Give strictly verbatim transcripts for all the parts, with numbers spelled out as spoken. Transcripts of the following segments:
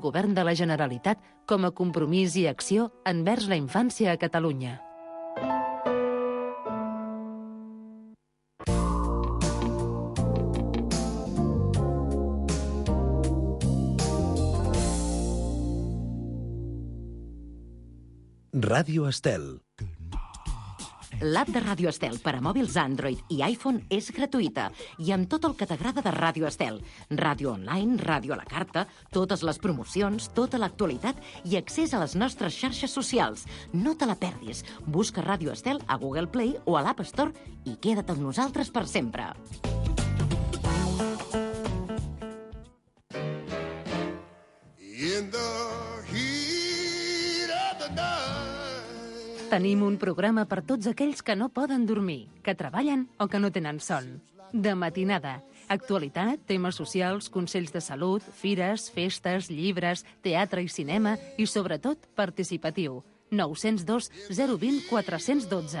Govern de la Generalitat com a compromís i acció envers la infància a Catalunya. Ràdio Estel. L'app de Ràdio Estel per a mòbils Android i iPhone és gratuïta i amb tot el que t'agrada de Ràdio Estel. Ràdio online, ràdio a la carta, totes les promocions, tota l'actualitat i accés a les nostres xarxes socials. No te la perdis. Busca Ràdio Estel a Google Play o a l'App Store i queda't amb nosaltres per sempre. In the heat of the night. Tenim un programa per tots aquells que no poden dormir, que treballen o que no tenen son. De matinada. Actualitat, temes socials, consells de salut, fires, festes, llibres, teatre i cinema i, sobretot, participatiu. nou zero dos zero dos zero quatre un dos.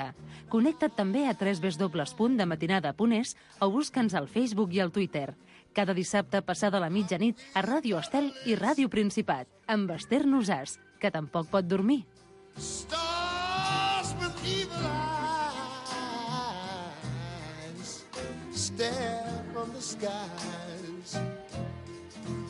Connecta't també a w w w punt dematinada punt es o busca'ns al Facebook i al Twitter. Cada dissabte passada la mitjanit a Ràdio Estel i Ràdio Principat, amb Esther Nosàs, que tampoc pot dormir. Stars with evil eyes stare from the skies,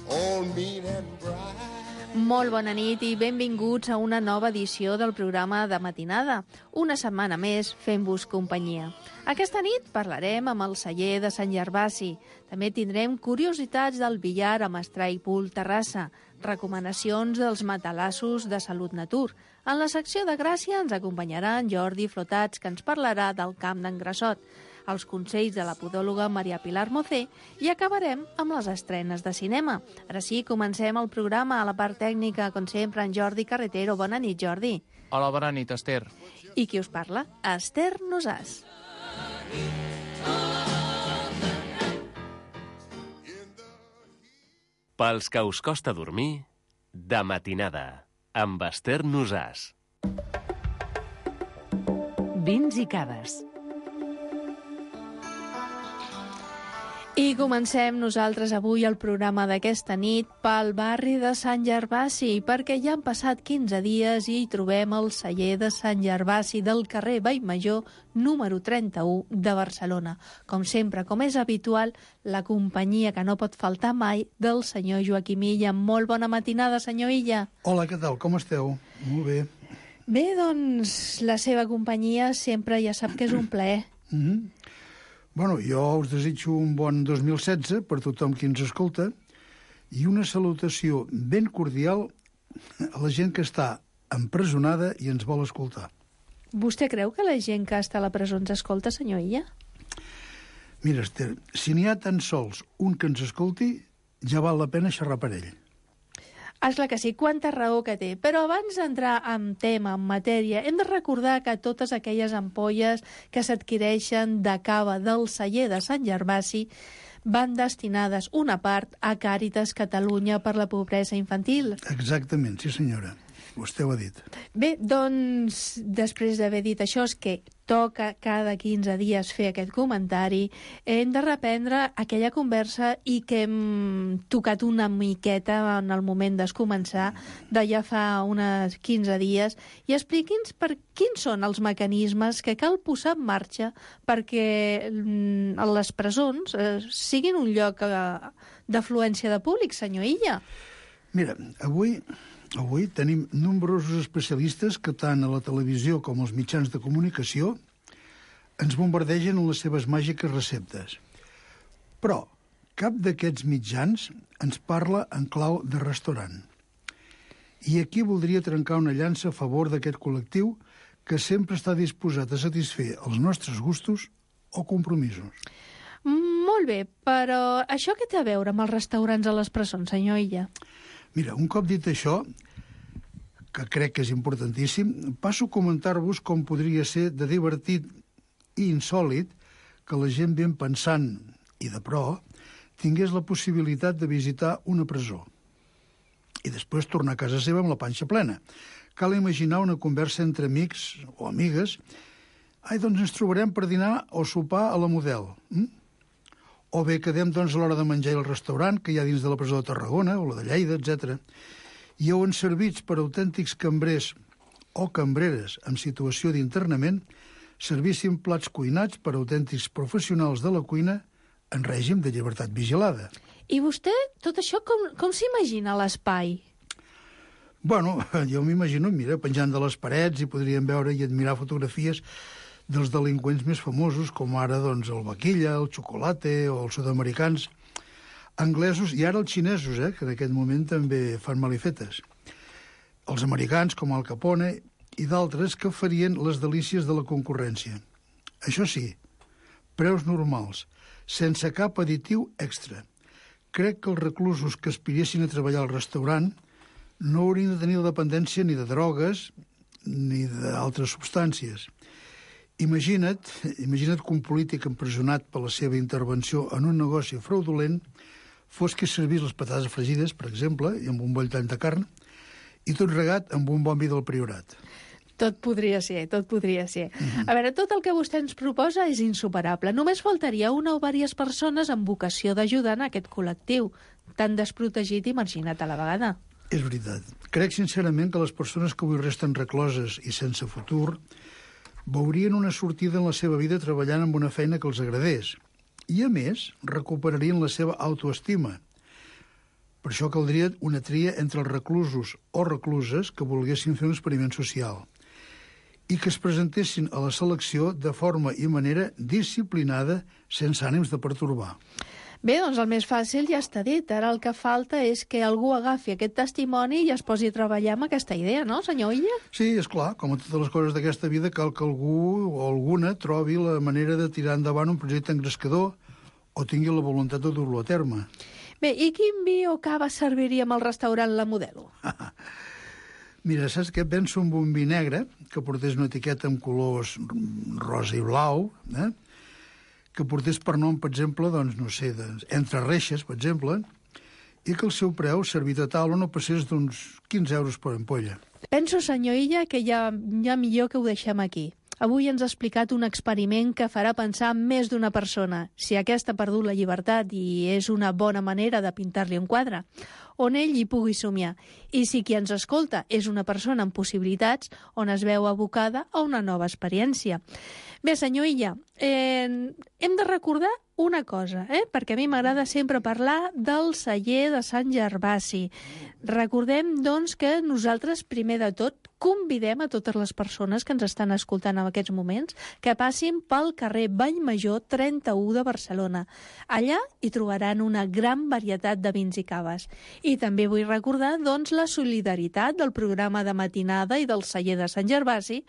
all mean and bright. Molt bona nit i benvinguts a una nova edició del programa de matinada. Una setmana més fent-vos companyia. Aquesta nit parlarem amb el celler de Sant Gervasi. També tindrem curiositats del billar a Mestrai Pool Terrassa, recomanacions dels matalassos de Salut Natur. En la secció de Gràcia ens acompanyarà en Jordi Flotats, que ens parlarà del camp d'en Grassot, els consells de la podòloga Maria Pilar Mocé i acabarem amb les estrenes de cinema. Ara sí, comencem el programa. A la part tècnica, com sempre, en Jordi Carretero. Bona nit, Jordi. Hola, bona nit, Esther. I qui us parla? Esther Nosàs. Pels que us costa dormir, de matinada, amb Esther Nosàs. Vins i cades. I comencem nosaltres avui el programa d'aquesta nit pel barri de Sant Gervasi, perquè ja han passat quinze dies i hi trobem el celler de Sant Gervasi del carrer Vallmajor, número trenta-u de Barcelona. Com sempre, com és habitual, la companyia que no pot faltar mai del senyor Joaquim Illa. Molt bona matinada, senyor Illa. Hola, què tal? Com esteu? Molt bé. Bé, doncs, la seva companyia sempre ja sap que és un plaer. Mm-hmm. Bueno, jo us desitjo un bon dos mil setze per tothom qui ens escolta i una salutació ben cordial a la gent que està empresonada i ens vol escoltar. Vostè creu que la gent que està a la presó ens escolta, senyor Illa? Mira, Esther, si n'hi ha tan sols un que ens escolti, ja val la pena xerrar per ell. És clar que sí, quanta raó que té. Però abans d'entrar en tema, en matèria, hem de recordar que totes aquelles ampolles que s'adquireixen de cava del celler de Sant Gervasi van destinades una part a Càritas Catalunya per la pobresa infantil. Exactament, sí senyora. Vostè ho ha dit. Bé, doncs, després d'haver dit això, és que toca cada quinze dies fer aquest comentari, hem de reprendre aquella conversa i que hem tocat una miqueta en el moment d'escomençar de ja fa uns quinze dies, i expliqui'ns per quins són els mecanismes que cal posar en marxa perquè les presons eh, siguin un lloc eh, d'afluència de públic, senyor Illa. Mira, avui... Avui tenim nombrosos especialistes que tant a la televisió com als mitjans de comunicació ens bombardegen amb les seves màgiques receptes. Però cap d'aquests mitjans ens parla en clau de restaurant. I aquí voldria trencar una llança a favor d'aquest col·lectiu que sempre està disposat a satisfer els nostres gustos o compromisos. Molt bé, però això què té a veure amb els restaurants a les presons, senyor Illa? Mira, un cop dit això, que crec que és importantíssim, passo a comentar-vos com podria ser de divertit i insòlit que la gent ben pensant i de pro tingués la possibilitat de visitar una presó i després tornar a casa seva amb la panxa plena. Cal imaginar una conversa entre amics o amigues. Ai, doncs ens trobarem per dinar o sopar a la Model. Mm? O bé quedem doncs a l'hora de menjar al restaurant que hi ha dins de la presó de Tarragona o la de Lleida, etcètera. i on servits per autèntics cambrers o cambreres en situació d'internament, servissin plats cuinats per autèntics professionals de la cuina en règim de llibertat vigilada. I vostè, tot això, com, com s'imagina l'espai? Bueno, jo m'imagino, mira, penjant de les parets i podríem veure i admirar fotografies dels delinqüents més famosos, com ara doncs, el Vaquilla, el Chocolate o els sud-americans, anglesos i ara els xinesos, eh, que en aquest moment també fan malifetes. Els americans, com Al Capone, i d'altres que farien les delícies de la concurrència. Això sí, preus normals, sense cap additiu extra. Crec que els reclusos que aspiressin a treballar al restaurant no haurien de tenir la dependència ni de drogues ni d'altres substàncies. Imagina't, imagina't que un polític empresonat per la seva intervenció en un negoci fraudulent fos que servís les patates fregides, per exemple, i amb un boll tant de carn, i tot regat amb un bon vi del Priorat. Tot podria ser, tot podria ser. Mm-hmm. A veure, tot el que vostè ens proposa és insuperable. Només faltaria una o diverses persones amb vocació d'ajudar en aquest col·lectiu, tan desprotegit i marginat a la vegada. És veritat. Crec sincerament que les persones que avui resten recloses i sense futur veurien una sortida en la seva vida treballant amb una feina que els agradés. I, a més, recuperarien la seva autoestima. Per això caldria una tria entre els reclusos o recluses que volguessin fer un experiment social i que es presentessin a la selecció de forma i manera disciplinada, sense ànims de pertorbar. Bé, doncs el més fàcil ja està dit. Ara el que falta és que algú agafi aquest testimoni i es posi a treballar amb aquesta idea, no, senyor Illa? Sí, és clar, com a totes les coses d'aquesta vida, cal que algú o alguna trobi la manera de tirar endavant un projecte engrescador o tingui la voluntat de dur-lo a terme. Bé, i quin vi o cava serviríem al restaurant La Modelo? Mira, saps què? Penso en un vi negre que portés una etiqueta amb colors rosa i blau, eh? que portés per nom, per exemple, doncs, no sé, doncs, entre reixes, per exemple, i que el seu preu, servit a taula, no passés d'uns quinze euros per ampolla. Penso, senyor Illa, que ja, ja millor que ho deixem aquí. Avui ens ha explicat un experiment que farà pensar més d'una persona si aquesta ha perdut la llibertat i és una bona manera de pintar-li un quadre, on ell hi pugui somiar. I si qui ens escolta és una persona amb possibilitats, on es veu abocada a una nova experiència. Bé, senyor Illa, eh, hem de recordar una cosa, eh? perquè a mi m'agrada sempre parlar del celler de Sant Gervasi. Recordem, doncs, que nosaltres, primer de tot, convidem a totes les persones que ens estan escoltant en aquests moments que passin pel carrer Vallmajor trenta-u de Barcelona. Allà hi trobaran una gran varietat de vins i caves. I també vull recordar, doncs, la solidaritat del programa de matinada i del celler de Sant Gervasi,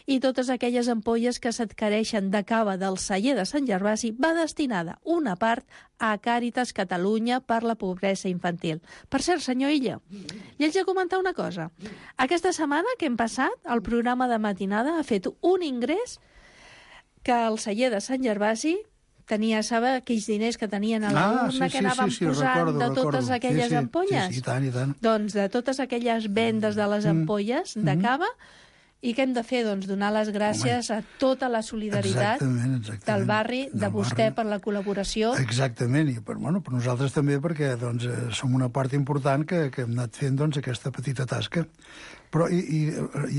i totes aquelles ampolles que s'adquireixen de cava del celler de Sant Gervasi va destinada una part a Càritas Catalunya per la pobresa infantil. Per cert, senyor Illa, i haig de comentar una cosa. Aquesta setmana que hem passat, el programa de matinada ha fet un ingrés que el celler de Sant Gervasi tenia, sabe, aquells diners que tenien a l'urna ah, sí, que anaven sí, sí, posant recordo, de totes recordo. aquelles sí, sí, ampolles? Sí, sí, i tant, i tant. Doncs de totes aquelles vendes de les ampolles mm. de cava. I què hem de fer? Doncs donar les gràcies Home, a tota la solidaritat exactament, exactament, del barri, de del vostè barri. per la col·laboració. Exactament, i per, bueno, per nosaltres també, perquè doncs, som una part important que, que hem anat fent doncs, aquesta petita tasca. Però i, i,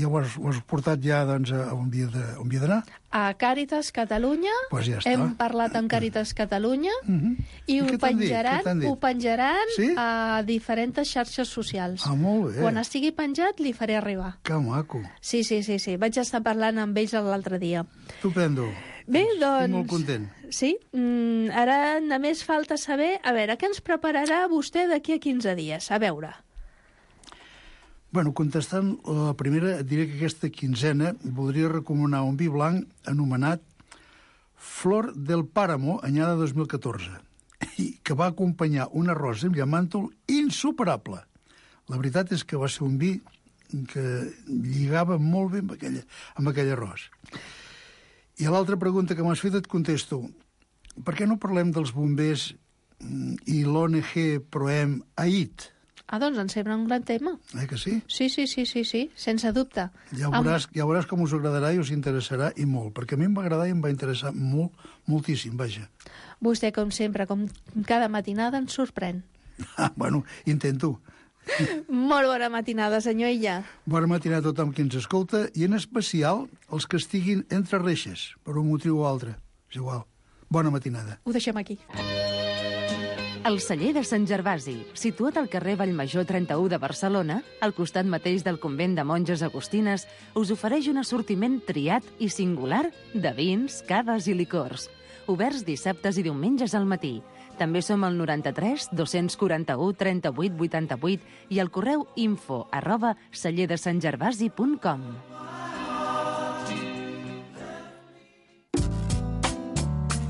i ho, has, ho has portat ja doncs, a on havia d'anar? A Càritas Catalunya, pues ja està. Hem parlat amb Càritas Catalunya uh-huh. i, I ho penjaran, ho penjaran sí? a diferents xarxes socials. Ah, molt bé. Quan estigui penjat li faré arribar. Que maco. Sí, sí, sí, sí. Vaig estar parlant amb ells l'altre dia. Estupendo. Bé, doncs... Estic molt content. Sí, mm, ara només falta saber, a veure, què ens prepararà vostè d'aquí a quinze dies? A veure... Bueno, contestant la primera, et diré que aquesta quinzena voldria recomanar un vi blanc anomenat Flor del Páramo, anyada dos mil catorze, i que va acompanyar un arròs amb llamàntol insuperable. La veritat és que va ser un vi que lligava molt bé amb, aquella, amb aquell arròs. I a l'altra pregunta que m'has fet et contesto, per què no parlem dels bombers i l'O N G Proem Ait? Ah, doncs em sembla un gran tema. Eh que sí? Sí, sí, sí, sí, sí, sense dubte. Ja veuràs, ja veuràs com us agradarà i us interessarà i molt, perquè a mi em va agradar i em va interessar molt, moltíssim, vaja. Vostè, com sempre, com cada matinada, ens sorprèn. Ah, bueno, intento. Molt bona matinada, senyor Illa. Bona matinada a tothom qui ens escolta i en especial els que estiguin entre reixes, per un motiu o altre. És igual. Bona matinada. Ho deixem aquí. El celler de Sant Gervasi, situat al carrer Vallmajor trenta-u de Barcelona, al costat mateix del convent de monges agustines, us ofereix un assortiment triat i singular de vins, caves i licors. Oberts dissabtes i diumenges al matí. També som al noranta-tres dos-cents quaranta-u trenta-vuit vuitanta-vuit i al correu info arroba celler de sant gervasi punt com.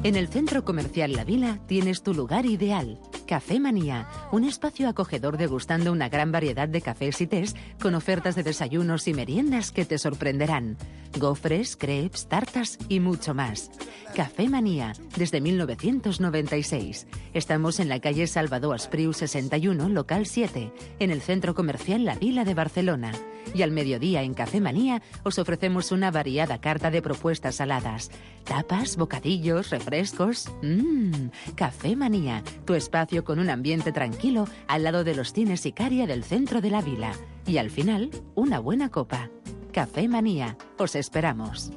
En el Centro Comercial La Vila tienes tu lugar ideal. Café Manía, un espacio acogedor degustando una gran variedad de cafés y tés con ofertas de desayunos y meriendas que te sorprenderán. Gofres, crepes, tartas y mucho más. Café Manía, desde mil novecientos noventa y seis. Estamos en la calle Salvador Espriu sesenta y uno, local siete, en el Centro Comercial La Vila de Barcelona. Y al mediodía en Café Manía os ofrecemos una variada carta de propuestas saladas. Tapas, bocadillos, refrescos. Mmm, Café Manía, tu espacio con un ambiente tranquilo al lado de los cines Icaria del centro de la vila. Y al final, una buena copa. Café Manía, os esperamos.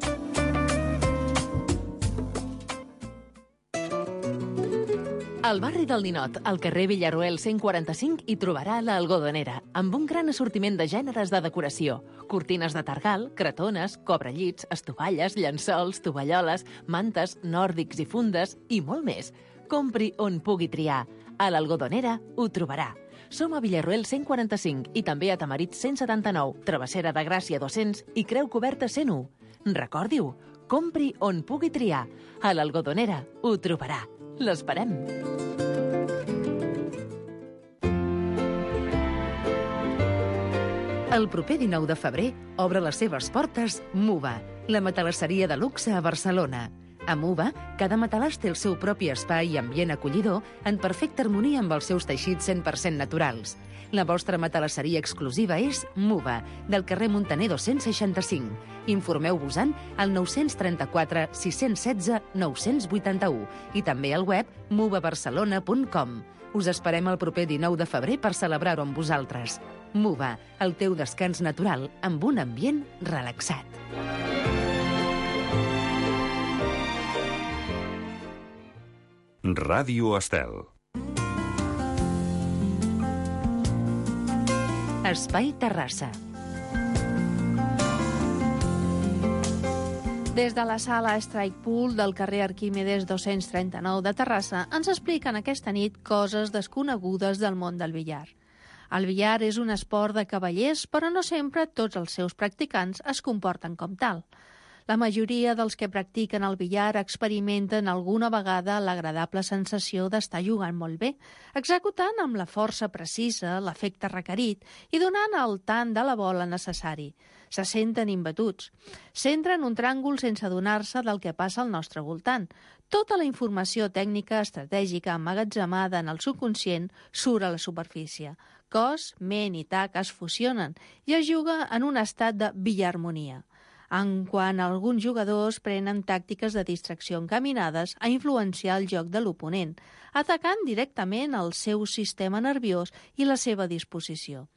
Al barri del Ninot, al carrer Villaruel cent quaranta-cinc, hi trobarà l'Algodonera, amb un gran assortiment de gèneres de decoració. Cortines de targal, cretones, cobrellits, estovalles, llençols, tovalloles, mantes, nòrdics i fundes i molt més. Compri on pugui triar. A l'Algodonera ho trobarà. Som a Villaruel cent quaranta-cinc i també a Tamarit cent setanta-nou, Travessera de Gràcia dos-cents i Creu Coberta cent u. Recordi-ho, compri on pugui triar. A l'Algodonera ho trobarà. L'esperem. El proper dinou de febrer obre les seves portes Muva, la matalasseria de luxe a Barcelona. A Muva, cada matalàs té el seu propi espai i ambient acollidor en perfecta harmonia amb els seus teixits cent per cent naturals. La vostra matalasseria exclusiva és Muva, del carrer Muntaner dos-cents seixanta-cinc. Informeu-vos-en al nou trenta-quatre sis setze nou vuitanta-u i també al web muva barcelona punt com. Us esperem el proper dinou de febrer per celebrar-ho amb vosaltres. Muva, el teu descans natural amb un ambient relaxat. Ràdio Estel. Espai Terrassa. Des de la sala Strike Pool del carrer Arquímedes dos-cents trenta-nou de Terrassa ens expliquen aquesta nit coses desconegudes del món del billar. El billar és un esport de cavallers, però no sempre tots els seus practicants es comporten com tal. La majoria dels que practiquen el billar experimenten alguna vegada l'agradable sensació d'estar jugant molt bé, executant amb la força precisa, l'efecte requerit i donant el tant de la bola necessari. Se senten imbatuts. S'entra en un tràngol sense adonar-se del que passa al nostre voltant. Tota la informació tècnica estratègica emmagatzemada en el subconscient surt a la superfície. Cos, ment i tac es fusionen i es juga en un estat de billarmonia. En quant alguns jugadors prenen tàctiques de distracció encaminades a influenciar el joc de l'oponent, atacant directament el seu sistema nerviós i la seva disposició.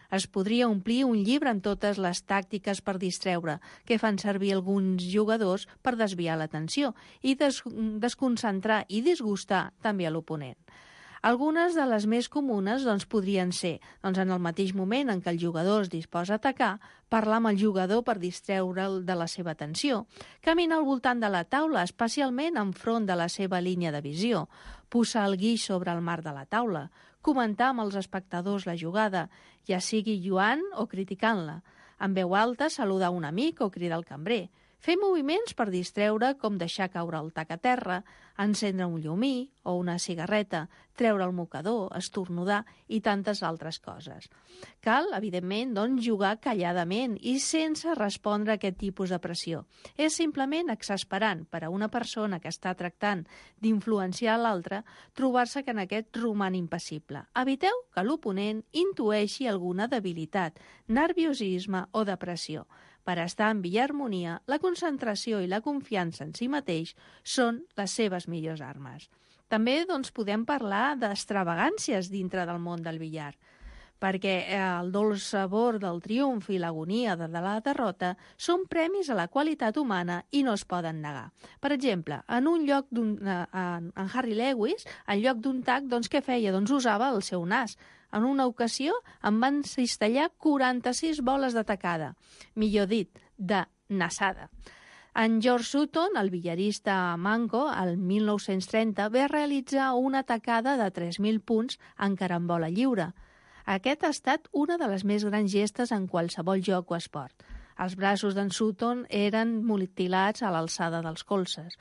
Es podria omplir un llibre amb totes les tàctiques per distreure que fan servir alguns jugadors per desviar l'atenció i des desconcentrar i disgustar també a l'oponent. Algunes de les més comunes doncs, podrien ser, doncs, en el mateix moment en què el jugador es disposa a atacar, parlar amb el jugador per distreure'l de la seva atenció, caminar al voltant de la taula, especialment enfront de la seva línia de visió, posar el guix sobre el marc de la taula, comentar amb els espectadors la jugada, ja sigui lluant o criticant-la, en veu alta saludar un amic o cridar al cambrer, fer moviments per distreure com deixar caure el tac a terra, encendre un llumí o una cigarreta, treure el mocador, estornudar i tantes altres coses. Cal, evidentment, doncs, jugar calladament i sense respondre a aquest tipus de pressió. És simplement exasperant per a una persona que està tractant d'influenciar l'altre trobar-se que en aquest roman impassible. Eviteu que l'oponent intueixi alguna debilitat, nerviosisme o depressió. Per estar en billarmonia, la concentració i la confiança en si mateix són les seves millors armes. També doncs, podem parlar d'extravagàncies dintre del món del billar. perquè el dolç sabor del triomf i l'agonia de la derrota són premis a la qualitat humana i no es poden negar. Per exemple, en un lloc d'un, en, en Harry Lewis, en lloc d'un tac, doncs què feia? Doncs usava el seu nas. En una ocasió em van cistellar quaranta-sis boles de tacada, millor dit, de nasada. En George Sutton, el billarista manco, el mil nou-cents trenta, va realitzar una tacada de tres mil punts en carambola lliure. Aquest ha estat una de les més grans gestes en qualsevol joc o esport. Els braços d'en Sutton eren mutilats a l'alçada dels colzes.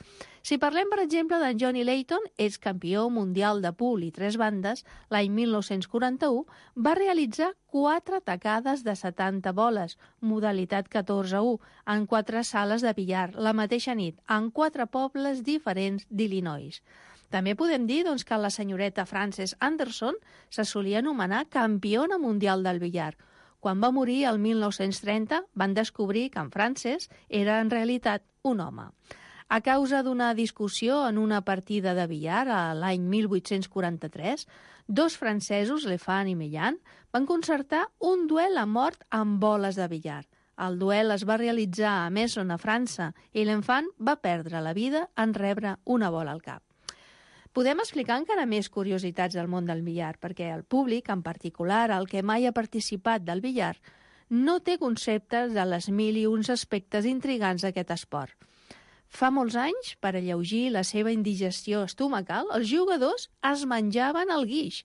Si parlem, per exemple, d'en Johnny Layton, ex-campió mundial de pool i tres bandes, l'any mil nou-cents quaranta-u, va realitzar quatre tacades de setanta boles, modalitat catorze a u, en quatre sales de billar, la mateixa nit, en quatre pobles diferents d'Illinois. També podem dir doncs, que la senyoreta Frances Anderson se solia anomenar campiona mundial del billar. Quan va morir el mil nou-cents trenta, van descobrir que en Frances era en realitat un home. A causa d'una discussió en una partida de billar a l'any mil vuit-cents quaranta-tres, dos francesos, Lefan i Meillan, van concertar un duel a mort amb boles de billar. El duel es va realitzar a Messon, a França, i l'Enfant va perdre la vida en rebre una bola al cap. Podem explicar encara més curiositats del món del billar, perquè el públic, en particular el que mai ha participat del billar, no té conceptes de les mil i uns aspectes intrigants d'aquest esport. Fa molts anys, per alleugir la seva indigestió estomacal, els jugadors es menjaven el guix.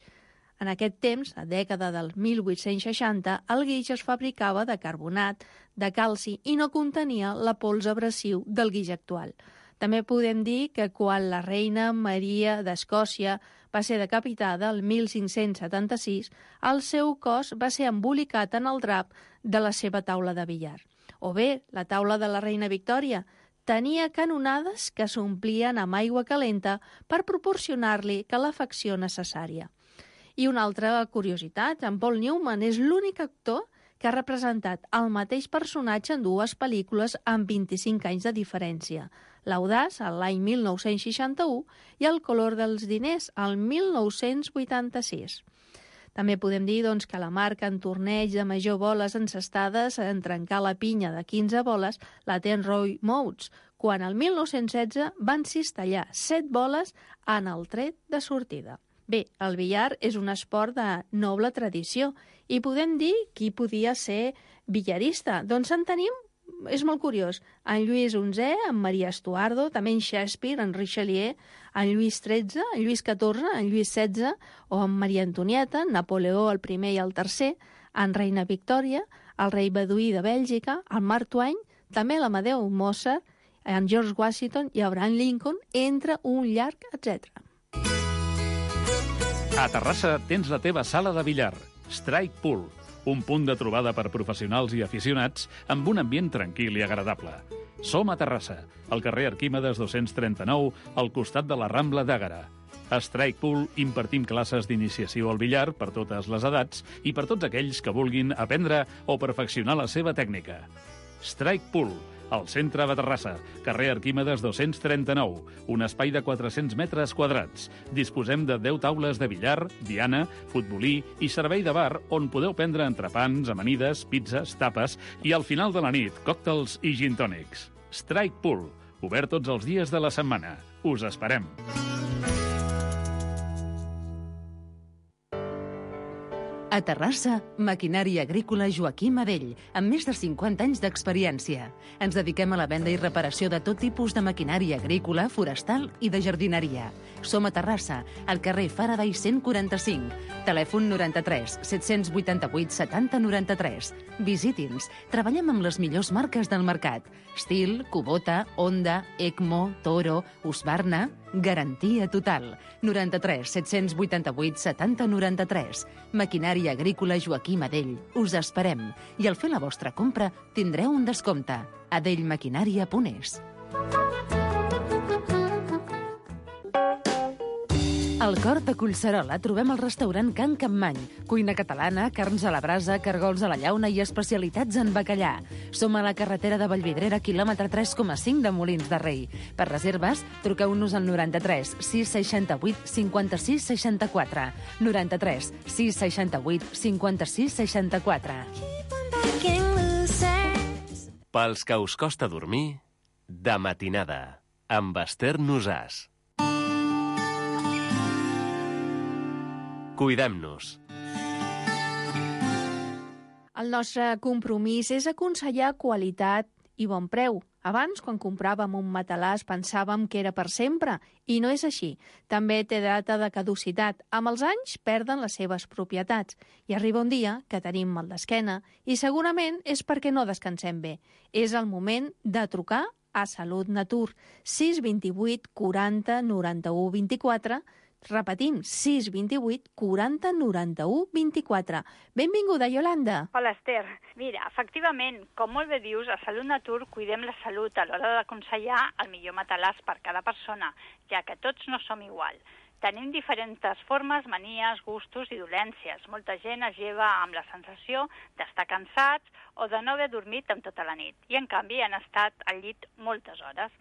En aquest temps, a dècada del mil vuit-cents seixanta, el guix es fabricava de carbonat, de calci i no contenia la pols abrasiu del guix actual. També podem dir que quan la reina Maria d'Escòcia va ser decapitada el mil cinc-cents setanta-sis, el seu cos va ser embolicat en el drap de la seva taula de billar. O bé, la taula de la reina Victòria tenia canonades que s'omplien amb aigua calenta per proporcionar-li calefacció necessària. I una altra curiositat, en Paul Newman és l'únic actor que ha representat el mateix personatge en dues pel·lícules amb vint-i-cinc anys de diferència. L'Audaç, l'any mil nou-cents seixanta-u, i El color dels diners, el mil nou-cents vuitanta-sis. També podem dir doncs, que la marca en torneig de major boles encestades en trencar la pinya de quinze boles la té en Roy Moats, quan el mil nou-cents setze van cistellar set boles en el tret de sortida. Bé, el billar és un esport de noble tradició i podem dir qui podia ser billarista. Doncs en tenim, és molt curiós, en Lluís onzè, en Maria Estuardo, també en Shakespeare, en Richelieu, en Lluís tretze, en Lluís catorze, en Lluís setze, o en Maria Antonieta, en Napoleó el primer i el tercer, en Reina Victòria, el rei Beduí de Bèlgica, en Mark Twain, també l'Amadeu Mozart, en George Washington i Abraham Lincoln, entre un llarg etcètera. A Terrassa tens la teva sala de billar, Strike Pool, un punt de trobada per professionals i aficionats amb un ambient tranquil i agradable. Som a Terrassa, al carrer Arquímedes dos-cents trenta-nou, al costat de la Rambla d'Àgara. A Strike Pool impartim classes d'iniciació al billar per totes les edats i per tots aquells que vulguin aprendre o perfeccionar la seva tècnica. Strike Pool, al centre de Terrassa, carrer Arquímedes dos-cents trenta-nou, un espai de quatre-cents metres quadrats. Disposem de deu taules de billar, diana, futbolí i servei de bar on podeu prendre entrepans, amanides, pizzas, tapes i al final de la nit, còctels i gin tònics. Strike Pool, obert tots els dies de la setmana. Us esperem. A Terrassa, maquinària agrícola Joaquim Adell, amb més de cinquanta anys d'experiència. Ens dediquem a la venda i reparació de tot tipus de maquinària agrícola, forestal i de jardineria. Som a Terrassa, al carrer Faraday cent quaranta-cinc. Telèfon noranta-tres set-cents vuitanta-vuit setanta noranta-tres. Visiti'ns. Treballem amb les millors marques del mercat. Stihl, Kubota, Honda, Ecmo, Toro, Husqvarna. Garantia total. noranta-tres set-cents vuitanta-vuit setanta noranta-tres. Maquinària agrícola Joaquim Adell. Us esperem. I al fer la vostra compra tindreu un descompte. adellmaquinària punt es. Al cor de Collserola trobem el restaurant Can Capmany. Cuina catalana, carns a la brasa, cargols a la llauna i especialitats en bacallà. Som a la carretera de Vallvidrera, quilòmetre tres coma cinc de Molins de Rei. Per reserves, truqueu-nos al noranta-tres sis seixanta-vuit cinquanta-sis seixanta-quatre. noranta-tres sis seixanta-vuit cinquanta-sis seixanta-quatre. Pels que us costa dormir, de matinada, amb Esther Nosàs. Cuidem-nos. El nostre compromís és aconsellar qualitat i bon preu. Abans, quan compràvem un matalàs, pensàvem que era per sempre, i no és així. També té data de caducitat. Amb els anys perden les seves propietats. I arriba un dia que tenim mal d'esquena i segurament és perquè no descansem bé. És el moment de trucar a Salut Natur. sis dos vuit quaranta noranta-u vint-i-quatre. Repetim, sis dos vuit quaranta noranta-u vint-i-quatre. Benvinguda, Iolanda. Hola, Esther. Mira, efectivament, com molt bé dius, a Salut Natur cuidem la salut a l'hora d'aconsellar el millor matalàs per cada persona, ja que tots no som igual. Tenim diferents formes, manies, gustos i dolències. Molta gent es lleva amb la sensació d'estar cansats o de no haver dormit en tota la nit, i en canvi han estat al llit moltes hores.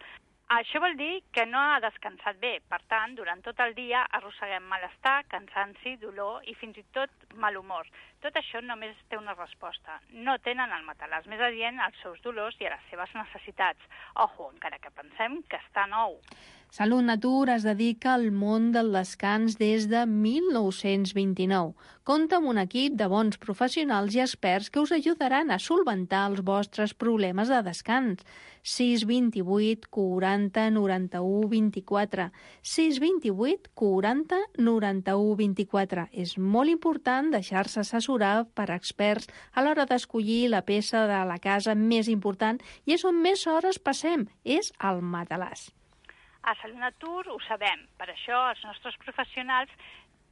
Això vol dir que no ha descansat bé. Per tant, durant tot el dia arrosseguem malestar, cansanci, dolor i fins i tot mal humor. Tot això només té una resposta. No tenen el matalàs més adient als seus dolors i a les seves necessitats. Ojo, encara que pensem que està nou. Salut Natur es dedica al món del descans des de mil nou-cents vint-i-nou. Compta amb un equip de bons professionals i experts que us ajudaran a solventar els vostres problemes de descans. sis dos vuit quaranta noranta-u vint-i-quatre. sis dos vuit quaranta noranta-u vint-i-quatre. És molt important deixar-se assessorar per experts a l'hora d'escollir la peça de la casa més important i és on més hores passem, és el matalàs. A Salut Natur ho sabem, per això els nostres professionals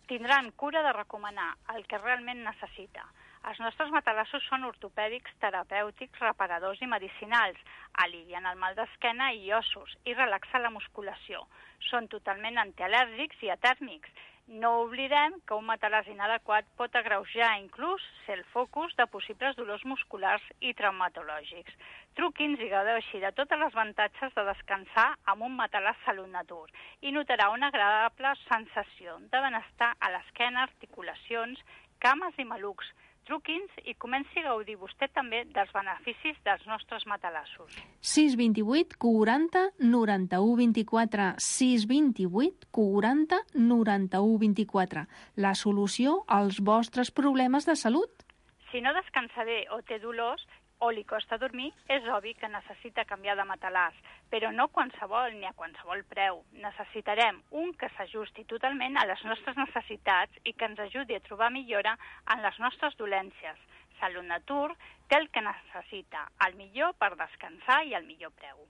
tindran cura de recomanar el que realment necessita. Els nostres matalassos són ortopèdics, terapèutics, reparadors i medicinals. Alivien el mal d'esquena i ossos i relaxen la musculació. Són totalment antialèrgics i atèrmics. No oblidem que un matalàs inadequat pot agreujar, inclús ser el focus de possibles dolors musculars i traumatològics. Truqui'ns i gaudeixi de tots els avantatges de descansar amb un matalàs Salut Natur i notarà una agradable sensació de benestar a l'esquena, articulacions, cames i malucs. Truqui'ns i comenci a gaudir vostè també dels beneficis dels nostres matalassos. sis dos vuit quaranta noranta-u vint-i-quatre. sis dos vuit quaranta noranta-u vint-i-quatre. La solució als vostres problemes de salut. Si no descansa bé o té dolors o li costa dormir, és obvi que necessita canviar de matalàs, però no qualsevol ni a qualsevol preu. Necessitarem un que s'ajusti totalment a les nostres necessitats i que ens ajudi a trobar millora en les nostres dolències. Salut Natur té el que necessita, el millor per descansar i el millor preu.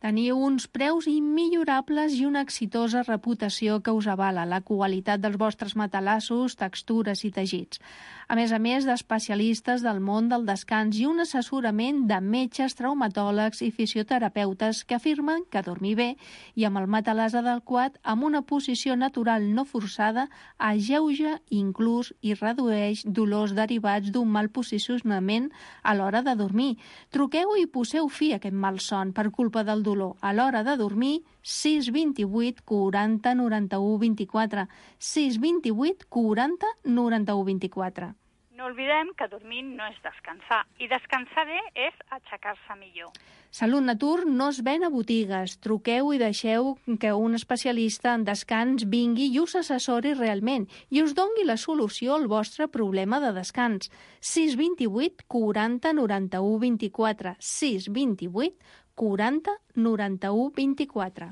Teniu uns preus immillorables i una exitosa reputació que us avala la qualitat dels vostres matalassos, textures i teixits. A més a més d'especialistes del món del descans i un assessorament de metges, traumatòlegs i fisioterapeutes que afirmen que dormir bé i amb el matalàs adequat amb una posició natural no forçada alleuja, inclús i redueix dolors derivats d'un mal posicionament a l'hora de dormir. Truqueu i poseu fi a aquest malson per culpa del dolor a l'hora de dormir. sis dos vuit quaranta noranta-u vint-i-quatre. sis dos vuit quaranta noranta-u vint-i-quatre. No oblidem que dormir no és descansar, i descansar bé és aixecar-se millor. Salut Natur no es ven a botigues. Truqueu i deixeu que un especialista en descans vingui i us assessori realment i us dongui la solució al vostre problema de descans. sis dos vuit quaranta noranta-u vint-i-quatre. sis dos vuit quaranta noranta-u vint-i-quatre.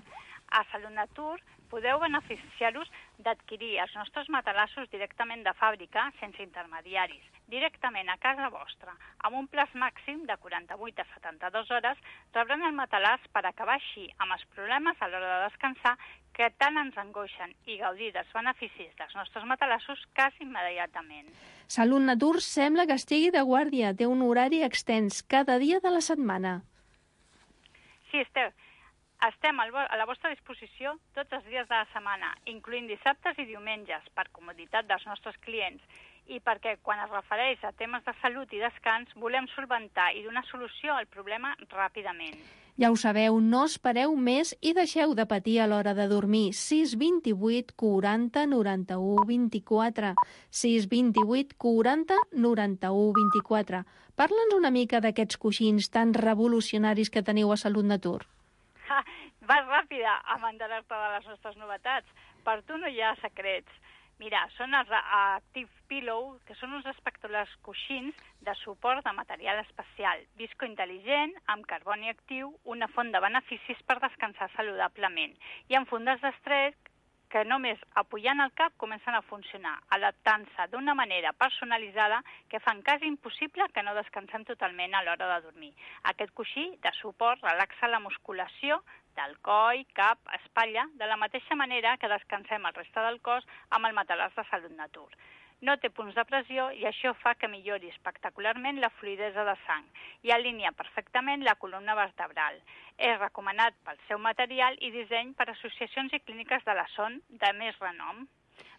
A Salut Natur podeu beneficiar-vos d'adquirir els nostres matalassos directament de fàbrica, sense intermediaris, directament a casa vostra. Amb un plaç màxim de quaranta-vuit a setanta-dues hores rebran el matalàs per acabar així amb els problemes a l'hora de descansar que tant ens angoixen i gaudir dels beneficis dels nostres matalassos quasi immediatament. Salut Natur sembla que estigui de guàrdia, té un horari extens cada dia de la setmana. Sí, Esther. Estem a la vostra disposició tots els dies de la setmana, incloent dissabtes i diumenges, per comoditat dels nostres clients, i perquè quan es refereix a temes de salut i descans volem solventar i donar solució al problema ràpidament. Ja ho sabeu, no espereu més i deixeu de patir a l'hora de dormir. sis vint vuit quaranta noranta-u vint-i-quatre. sis vint vuit quaranta noranta-u vint-i-quatre. Parla'ns una mica d'aquests coixins tan revolucionaris que teniu a Salut Natur. Ha, vas ràpida a mantener-te de les nostres novetats. Per tu no hi ha secrets. Mira, són els Active Pillow, que són uns espectaculars coixins de suport de material especial, viscointel·ligent, amb carboni actiu, una font de beneficis per descansar saludablement, i amb fundes d'estrès que només apujant el cap comencen a funcionar, adaptant-se d'una manera personalitzada que fan quasi impossible que no descansem totalment a l'hora de dormir. Aquest coixí de suport relaxa la musculació del coll, cap, espatlla, de la mateixa manera que descansem el reste del cos amb el matalàs de Salut Natur. No té punts de pressió i això fa que millori espectacularment la fluïdesa de sang i alinea perfectament la columna vertebral. És recomanat pel seu material i disseny per associacions i clíniques de la son de més renom.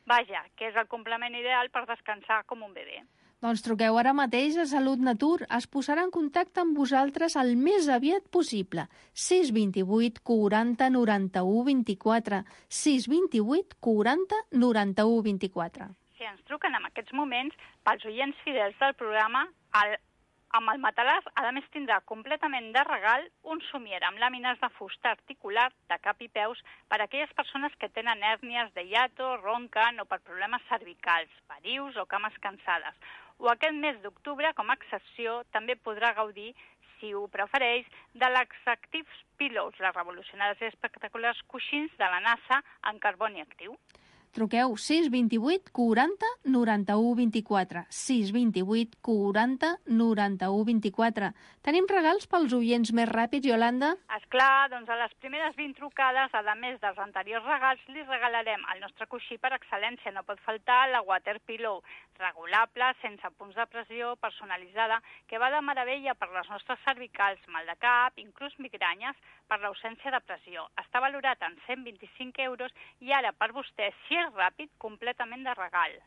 Vaja, que és el complement ideal per descansar com un bebè. Doncs truqueu ara mateix a Salut Natur. Es posarà en contacte amb vosaltres el més aviat possible. sis vint vuit quaranta noranta-u vint-i-quatre. sis vint vuit quaranta noranta-u vint-i-quatre. Si ens truquen en aquests moments, pels oients fidels del programa, el, amb el matalàs, a més tindrà completament de regal un somier amb làmines de fusta articular de cap i peus per a aquelles persones que tenen hèrnies de hiato, ronquen o per problemes cervicals, varius o cames cansades. O aquest mes d'octubre, com a excepció, també podrà gaudir, si ho prefereix, de l'Active Pillows, les revolucionaris i espectaculars coixins de la NASA en carboni actiu. Truqueu sis vint vuit quaranta noranta-u vint-i-quatre. sis vint vuit quaranta noranta-u vint-i-quatre. Tenim regals pels oients més ràpids, Iolanda? Esclar, doncs a les primeres vint trucades, a més dels anteriors regals, li regalarem el nostre coixí per excel·lència. No pot faltar la Water Pillow, regulable, sense punts de pressió, personalitzada, que va de meravella per les nostres cervicals, mal de cap, inclús migranyes, per l'ausència de pressió. Està valorat en cent vint-i-cinc euros i ara per vostè, si és ràpid, completament de regal.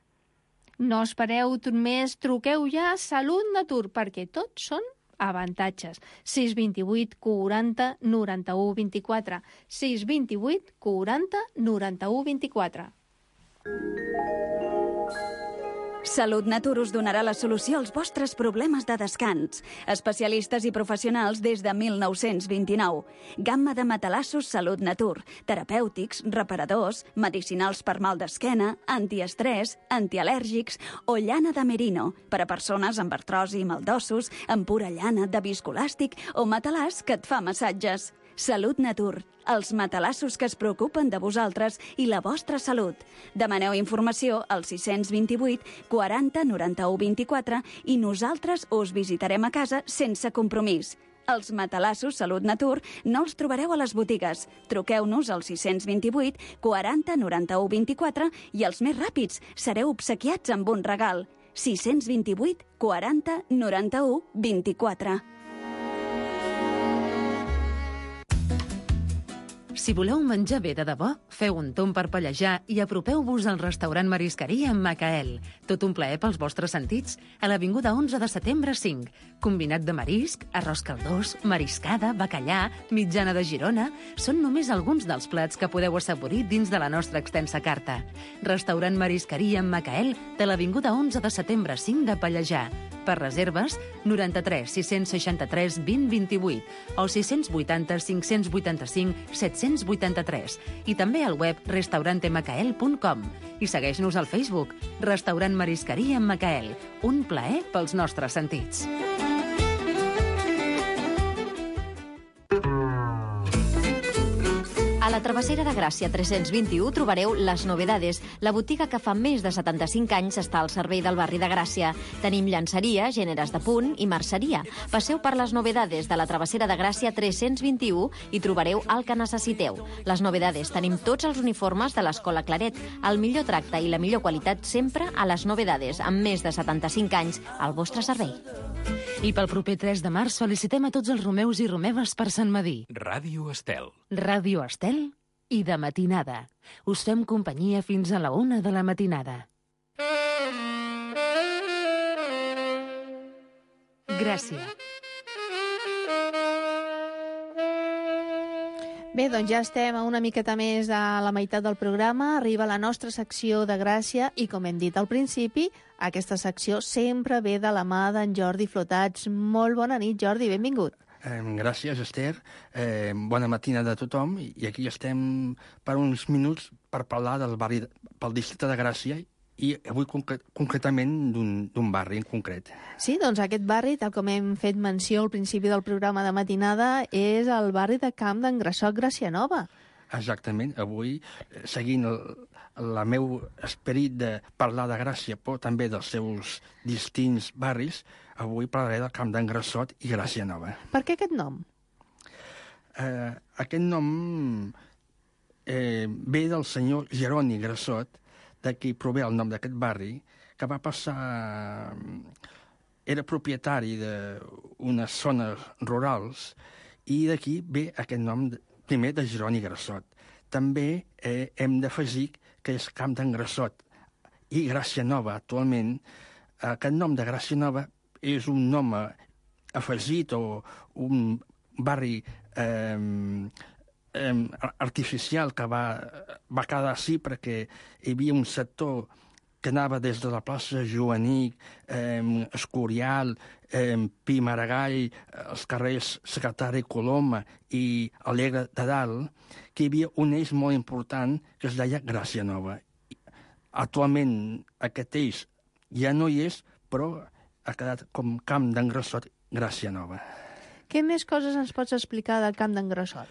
No espereu més, truqueu ja a Salut Natur, perquè tots són avantatges. sis vint vuit quaranta noranta-u vint-i-quatre. sis vint vuit quaranta noranta-u vint-i-quatre. Salut Natur us donarà la solució als vostres problemes de descans. Especialistes i professionals des de mil nou-cents vint-i-nou. Gamma de matalassos Salut Natur. Terapèutics, reparadors, medicinals per mal d'esquena, antiestrès, antialèrgics o llana de merino per a persones amb artrosi i mal d'ossos, amb pura llana de viscolàstic o matalàs que et fa massatges. Salut Natur, els matalassos que es preocupen de vosaltres i la vostra salut. Demaneu informació al sis vint vuit quaranta noranta-u vint-i-quatre i nosaltres us visitarem a casa sense compromís. Els matalassos Salut Natur no els trobareu a les botigues. Truqueu-nos al sis vint vuit quaranta noranta-u vint-i-quatre i els més ràpids sereu obsequiats amb un regal. sis vint vuit quaranta noranta-u vint-i-quatre. Si voleu menjar bé de debò, feu un tomb per pallejar i apropeu-vos al restaurant Marisqueria amb Macael. Tot un plaer pels vostres sentits a l'avinguda onze de setembre cinc. Combinat de marisc, arròs caldós, mariscada, bacallà, mitjana de Girona... Són només alguns dels plats que podeu assaborir dins de la nostra extensa carta. Restaurant Marisqueria amb Macael de l'avinguda onze de setembre cinc de Pallejà. Per reserves, noranta-tres sis seixanta-tres vint vint-i-vuit o sis vuitanta cinc vuitanta-cinc set vuitanta-tres i també al web restaurante macael punt com. I segueix-nos al Facebook, Restaurant Marisqueria amb Macael. Un plaer pels nostres sentits. A la Travessera de Gràcia tres-cents vint-i-u trobareu Les Novedades, la botiga que fa més de setanta-cinc anys està al servei del barri de Gràcia. Tenim llançeria, gèneres de punt i merceria. Passeu per Les Novedades de la Travessera de Gràcia tres-cents vint-i-u i trobareu el que necessiteu. Les Novedades, tenim tots els uniformes de l'Escola Claret, el millor tracte i la millor qualitat sempre a Les Novedades, amb més de setanta-cinc anys al vostre servei. I pel proper tres de març felicitem a tots els romeus i romeves per Sant Madí. Ràdio Estel. Ràdio Estel i de matinada. Us fem companyia fins a la una de la matinada. Gràcia. Bé, doncs ja estem a una miqueta més de la meitat del programa. Arriba la nostra secció de Gràcia i, com hem dit al principi, aquesta secció sempre ve de la mà d'en Jordi Flotats. Molt bona nit, Jordi, benvingut. Eh, gràcies, Esther. Eh, bona matina de tothom. I aquí estem per uns minuts per parlar del barri, pel districte de Gràcia, i avui concret, concretament d'un barri en concret. Sí, doncs aquest barri, tal com hem fet menció al principi del programa de matinada, és el barri de Camp d'en Grassot, Gràcia Nova. Exactament. Avui, seguint el, el meu esperit de parlar de Gràcia, però també dels seus distints barris, avui parlaré del Camp d'en Grassot i Gràcia Nova. Per què aquest nom? Eh, aquest nom eh, ve del senyor Jeroni Grassot, d'aquí prové el nom d'aquest barri, que va passar... Era propietari d'unes zones rurals i d'aquí ve aquest nom, primer, de Jeroni Grassot. També eh, hem d'afegir que és Camp d'en Grassot i Gràcia Nova. Actualment, aquest nom de Gràcia Nova és un nom afegit o un barri eh, eh, artificial que va, va quedar així perquè hi havia un sector que anava des de la plaça Joanic, eh, Escorial, eh, Pi Maragall, els carrers Secretari Coloma i Alegre de Dalt, que hi havia un eix molt important que es deia Gràcia Nova. Actualment aquest eix ja no hi és, però ha quedat com Camp d'en Grassot, Gràcia Nova. Què més coses ens pots explicar del Camp d'en Grassot?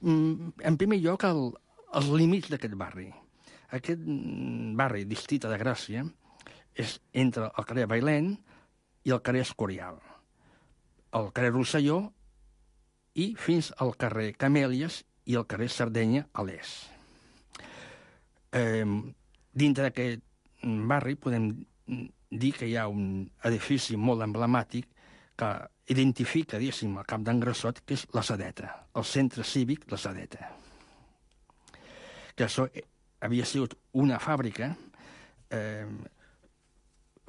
Mm, en primer lloc, el, els límits d'aquest barri. Aquest barri, districte de Gràcia, és entre el carrer Bailén i el carrer Escorial, el carrer Rosselló i fins al carrer Camèlies i el carrer Sardenya a l'est. Eh, dintre d'aquest barri podem dir que hi ha un edifici molt emblemàtic que identifica, diguéssim, el Camp d'en Grassot, que és la Sedeta, el centre cívic La Sedeta. Que això havia sigut una fàbrica eh,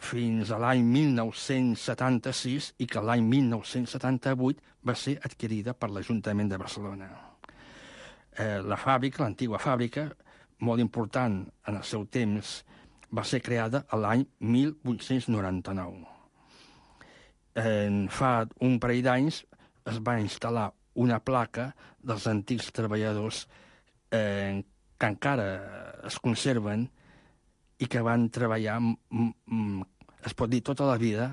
fins a l'any mil nou-cents setanta-sis i que l'any mil nou-cents setanta-vuit va ser adquirida per l'Ajuntament de Barcelona. Eh, la fàbrica, l'antiga fàbrica, molt important en el seu temps, va ser creada a l'any mil vuit-cents noranta-nou. Eh, fa un parell d'anys es va instal·lar una placa dels antics treballadors eh, que encara es conserven i que van treballar, m m es pot dir, tota la vida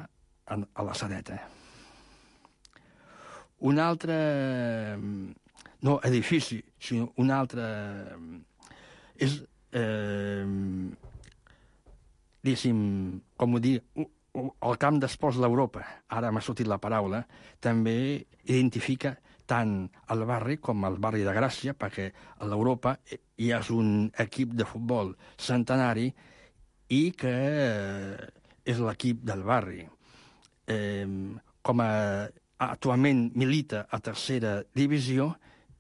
a, a la Sedeta. Un altre, no edifici, sinó un altre, és, eh, diguéssim, com ho dir, el camp d'esports d'Europa, ara m'ha sortit la paraula, també identifica tant el barri com el barri de Gràcia, perquè a l'Europa hi ha un equip de futbol centenari i que és l'equip del barri. Eh, com a, actualment milita a tercera divisió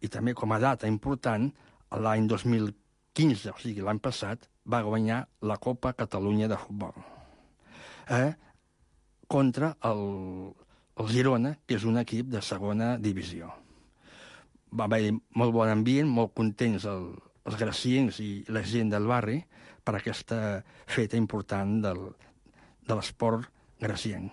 i també com a data important, l'any dos mil quinze, o sigui l'any passat, va guanyar la Copa Catalunya de futbol. Eh, contra el... el Girona, que és un equip de segona divisió. Va haver molt bon ambient, molt contents el, els graciencs i la gent del barri per aquesta feta important del, de l'esport gracienc.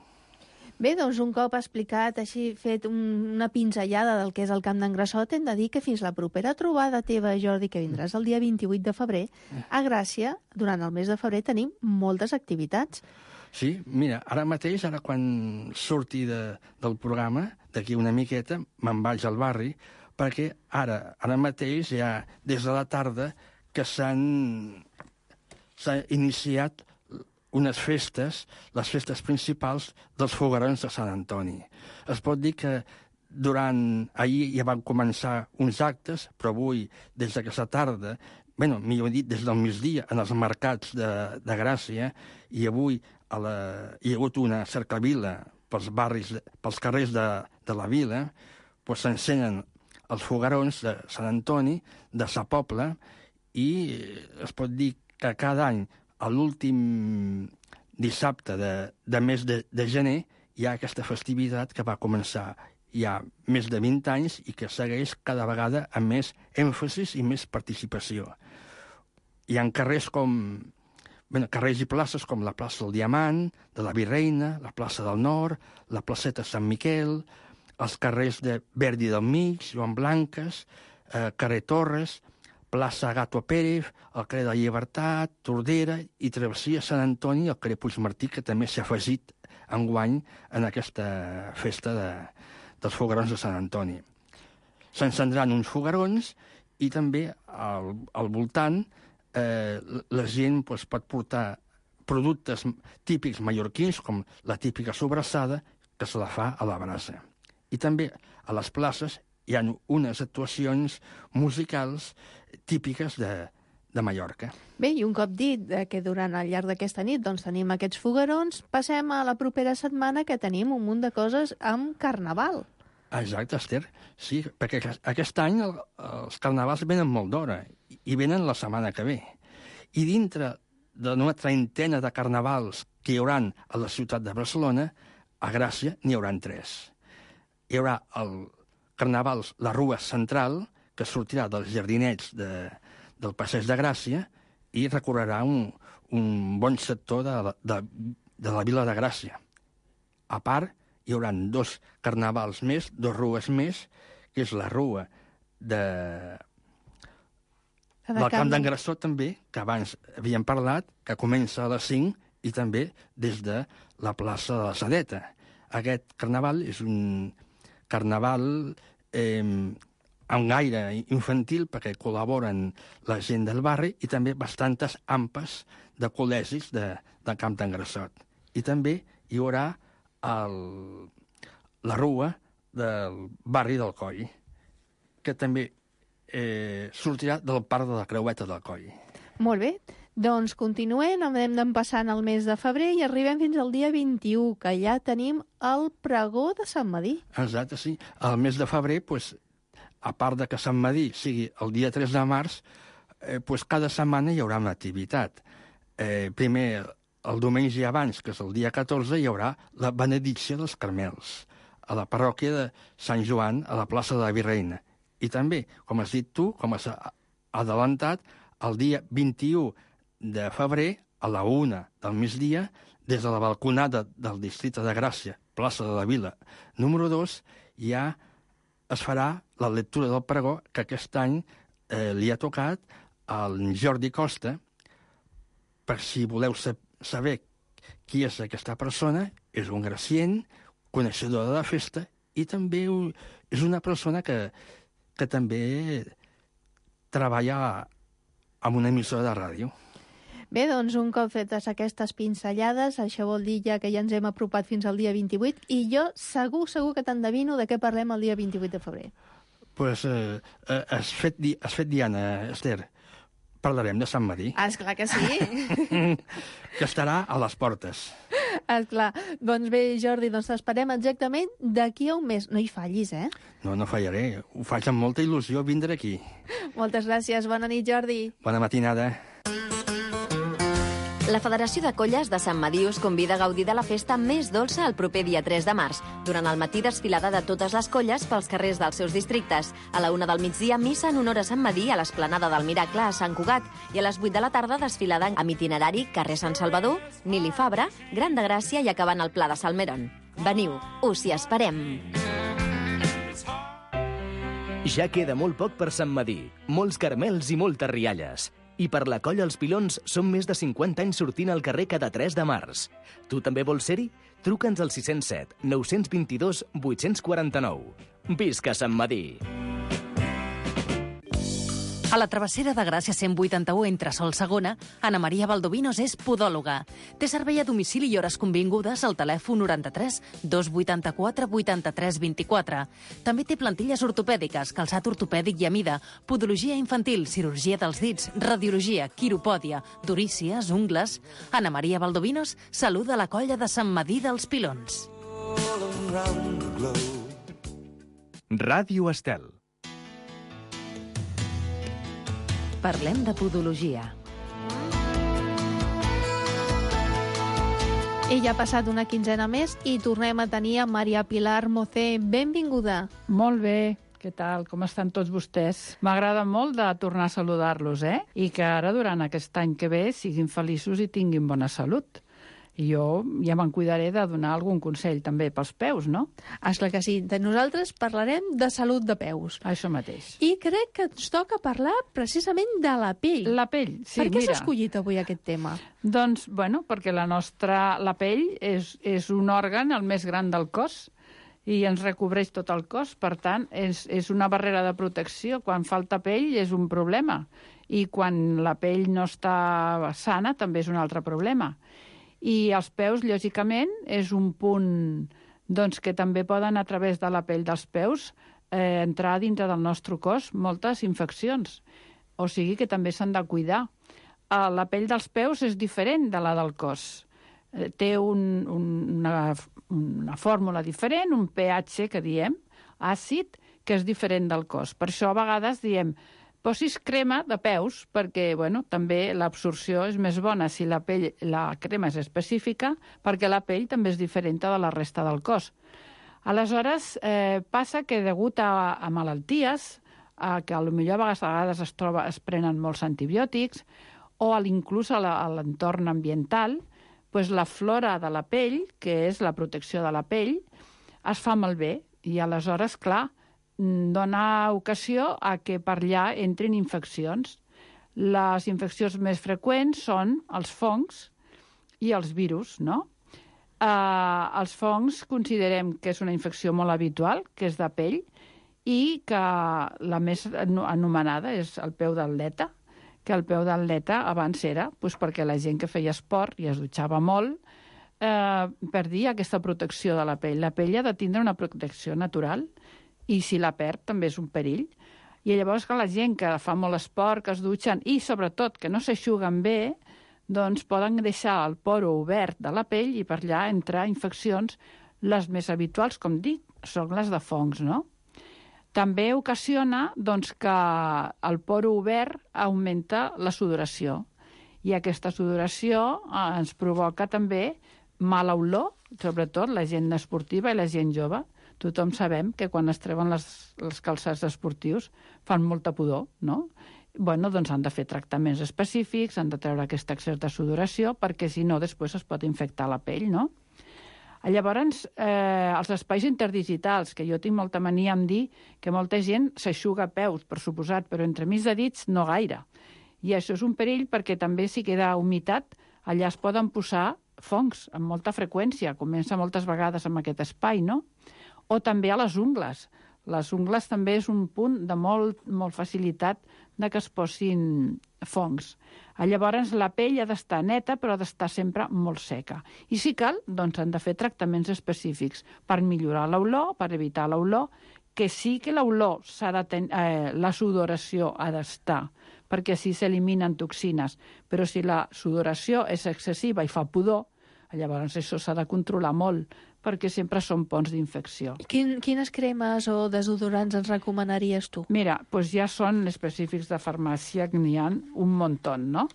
Bé, doncs un cop explicat, així fet un, una pinzellada del que és el Camp d'en Grassot, hem de dir que fins la propera trobada teva, Jordi, que vindràs el dia vint-i-vuit de febrer, a Gràcia, durant el mes de febrer, tenim moltes activitats. Sí, mira, ara mateix, ara quan surti de, del programa, d'aquí una miqueta, me'n vaig al barri, perquè ara, ara mateix, ja des de la tarda, que s'han iniciat unes festes, les festes principals dels foguerons de Sant Antoni. Es pot dir que durant... Ahir ja van començar uns actes, però avui, des d'aquesta tarda, bueno, millor dit, des del migdia, en els mercats de, de Gràcia, i avui a la, hi ha hagut una cercavila pels barris, pels carrers de, de la vila, doncs s'encenen els foguerons de Sant Antoni, de Sa Pobla, i es pot dir que cada any, a l'últim dissabte de, de mes de, de gener, hi ha aquesta festivitat que va començar hi ha més de vint anys i que segueix cada vegada amb més èmfasis i més participació. Hi ha carrers com... Bé, carrers i places com la plaça del Diamant, de la Virreina, la plaça del Nord, la placeta Sant Miquel, els carrers de Verdi del Mig, Joan Blanques, eh, carrer Torres, plaça Gato Pérez, el carrer de la Llibertat, Tordera i travessia Sant Antoni i el carrer Puigmartí, que també s'ha afegit enguany en aquesta festa de, dels foguerons de Sant Antoni. S'encendran uns foguerons i també al, al voltant eh, la gent doncs, pot portar productes típics mallorquins, com la típica sobrassada, que se la fa a la brasa. I també a les places hi ha unes actuacions musicals típiques de, de Mallorca. Bé, i un cop dit que durant al llarg d'aquesta nit doncs, tenim aquests foguerons, passem a la propera setmana que tenim un munt de coses amb Carnaval. Exacte, Esther. Sí, perquè aquest any el, els carnavals venen molt d'hora i venen la setmana que ve. I dintre d'una trentena de carnavals que hi haurà a la ciutat de Barcelona, a Gràcia n'hi haurà tres. Hi haurà el carnaval La Rua Central, que sortirà dels jardinets de, del Passeig de Gràcia i recorrerà un, un bon sector de, de, de la vila de Gràcia. A part, hi haurà dos carnavals més, dos rues més, que és la rua de... del Camp d'en Grassó també, que abans havíem parlat, que comença a les cinc i també des de la plaça de la Sedeta. Aquest carnaval és un carnaval eh, amb gaire infantil perquè col·laboren la gent del barri i també bastantes ampes de col·legis de, del Camp d'en Grassot. I també hi haurà el, la rua del barri del Coll, que també eh, sortirà del parc de la Creueta del Coll. Molt bé. Doncs continuem, anem passant el mes de febrer i arribem fins al dia vint-i-u, que ja tenim el pregó de Sant Medir. Exacte, sí. El mes de febrer, pues, a part de que Sant Medir sigui el dia tres de març, eh, pues, cada setmana hi haurà una activitat. Eh, primer, el diumenge abans, que és el dia catorze, hi haurà la benedicció dels Carmels a la parròquia de Sant Joan, a la plaça de la Virreina. I també, com has dit tu, com has adelantat, el dia vint-i-u de febrer, a la una del migdia, des de la balconada del districte de Gràcia, plaça de la Vila, número dos, ja es farà la lectura del pregó que aquest any eh, li ha tocat al Jordi Costa. Per si voleu saber qui és aquesta persona, és un gracient, coneixedor de la festa, i també és una persona que, que també treballa amb una emissora de ràdio. Bé, doncs un cop fetes aquestes pinzellades, això vol dir ja que ja ens hem apropat fins al dia vint-i-vuit, i jo segur, segur que t'endevino de què parlem el dia vint-i-vuit de febrer. Doncs pues, eh, eh, has, fet di has fet diana, Esther. Parlarem de Sant Medir. Ah, esclar que sí. Que estarà a les portes. Esclar. Doncs bé, Jordi, doncs t'esperem exactament d'aquí a un mes. No hi fallis, eh? No, no fallaré. Ho faig amb molta il·lusió vindre aquí. Moltes gràcies. Bona nit, Jordi. Bona matinada. La Federació de Colles de Sant Medir us convida a gaudir de la festa més dolça el proper dia tres de març. Durant el matí, desfilada de totes les colles pels carrers dels seus districtes. A la una del migdia, missa en honor a Sant Medir a l'Esplanada del Miracle a Sant Cugat. I a les vuit de la tarda, desfilada amb itinerari carrer Sant Salvador, Nili Fabra, Gran de Gràcia i acabant al Pla de Salmeron. Veniu, us hi esperem! Ja queda molt poc per Sant Medir. Molts caramels i moltes rialles. I per la Colla Els Pilons són més de cinquanta anys sortint al carrer cada tres de març. Tu també vols ser-hi? Truca'ns al sis zero set, nou dos dos, vuit quatre nou. Visca Sant Medir! A la travessera de Gràcia cent vuitanta-u entre Sol Segona, Ana Maria Valdovinos és podòloga. Té servei a domicili i hores convingudes al telèfon noranta-tres dos vuitanta-quatre vuitanta-tres vint-i-quatre. També té plantilles ortopèdiques, calçat ortopèdic i a mida, podologia infantil, cirurgia dels dits, radiologia, quiropòdia, durícies, ungles... Ana Maria Valdovinos saluda la Colla de Sant Medir dels Pilons. all around the globe. Ràdio Estel. Parlem de podologia. Ella ha passat una quinzena més i tornem a tenir a Maria Pilar Mocé. Benvinguda. Molt bé. Què tal? Com estan tots vostès? M'agrada molt de tornar a saludar-los, eh? I que ara, durant aquest any que ve, siguin feliços i tinguin bona salut. I jo ja me'n cuidaré de donar algun consell també pels peus, no? Esclar que sí. De nosaltres parlarem de salut de peus. Això mateix. I crec que ens toca parlar precisament de la pell. La pell, sí, per què mira. s'ha escollit avui aquest tema? Doncs, bueno, perquè la nostra... La pell és, és un òrgan el més gran del cos i ens recobreix tot el cos. Per tant, és, és una barrera de protecció. Quan falta pell és un problema. I quan la pell no està sana també és un altre problema. I els peus, lògicament, és un punt doncs, que també poden, a través de la pell dels peus, eh, entrar dintre del nostre cos moltes infeccions. O sigui que també s'han de cuidar. Eh, la pell dels peus és diferent de la del cos. Eh, té un, un, una, una fórmula diferent, un pH, que diem, àcid, que és diferent del cos. Per això, a vegades, diem... Posis crema de peus, perquè bueno, també l'absorció és més bona si la, pell, la crema és específica, perquè la pell també és diferent de la resta del cos. Aleshores, eh, passa que degut a, a malalties, a que potser a vegades, a vegades es, troba, es prenen molts antibiòtics, o a inclús a l'entorn ambiental, pues la flora de la pell, que és la protecció de la pell, es fa malbé. I aleshores, clar, dona ocasió a que per allà entrin infeccions. Les infeccions més freqüents són els fongs i els virus, no? Eh, els fongs considerem que és una infecció molt habitual, que és de pell, i que la més anomenada és el peu d'atleta, que el peu d'atleta abans era doncs, perquè la gent que feia esport i es dutxava molt eh, perdia aquesta protecció de la pell. La pell ha de tindre una protecció natural, i si la perd també és un perill. I llavors que la gent que fa molt esport, que es dutxen i sobretot que no s'eixuguen bé, doncs poden deixar el poro obert de la pell i per allà entrar infeccions. Les més habituals, com dic, són les de fongs, no? També ocasiona doncs, que el poro obert augmenta la sudoració i aquesta sudoració eh, ens provoca també mala olor, sobretot la gent esportiva i la gent jove. Tothom sabem que quan es treuen les, les calçats esportius fan molta pudor, no? Bueno, doncs han de fer tractaments específics, han de treure aquesta excés de sudoració, perquè si no després es pot infectar la pell, no? Llavors, eh, els espais interdigitals, que jo tinc molta mania en dir que molta gent s'eixuga peus, per suposat, però entremig de dits no gaire. I això és un perill perquè també si queda humitat, allà es poden posar fongs amb molta freqüència, comença moltes vegades amb aquest espai, no? O també a les ungles. Les ungles també és un punt de molt, molt facilitat de que es posin fongs. Llavors, la pell ha d'estar neta, però ha d'estar sempre molt seca. I si cal, doncs han de fer tractaments específics per millorar l'olor, per evitar l'olor, que sí que l'olor s'ha de ten... eh, la sudoració ha d'estar, perquè així s'eliminen toxines. Però si la sudoració és excessiva i fa pudor, llavors això s'ha de controlar molt, perquè sempre són ponts d'infecció. Quin, quines cremes o desodorants ens recomanaries tu? Mira, doncs ja són específics de farmàcia, que n'hi ha un muntó, no?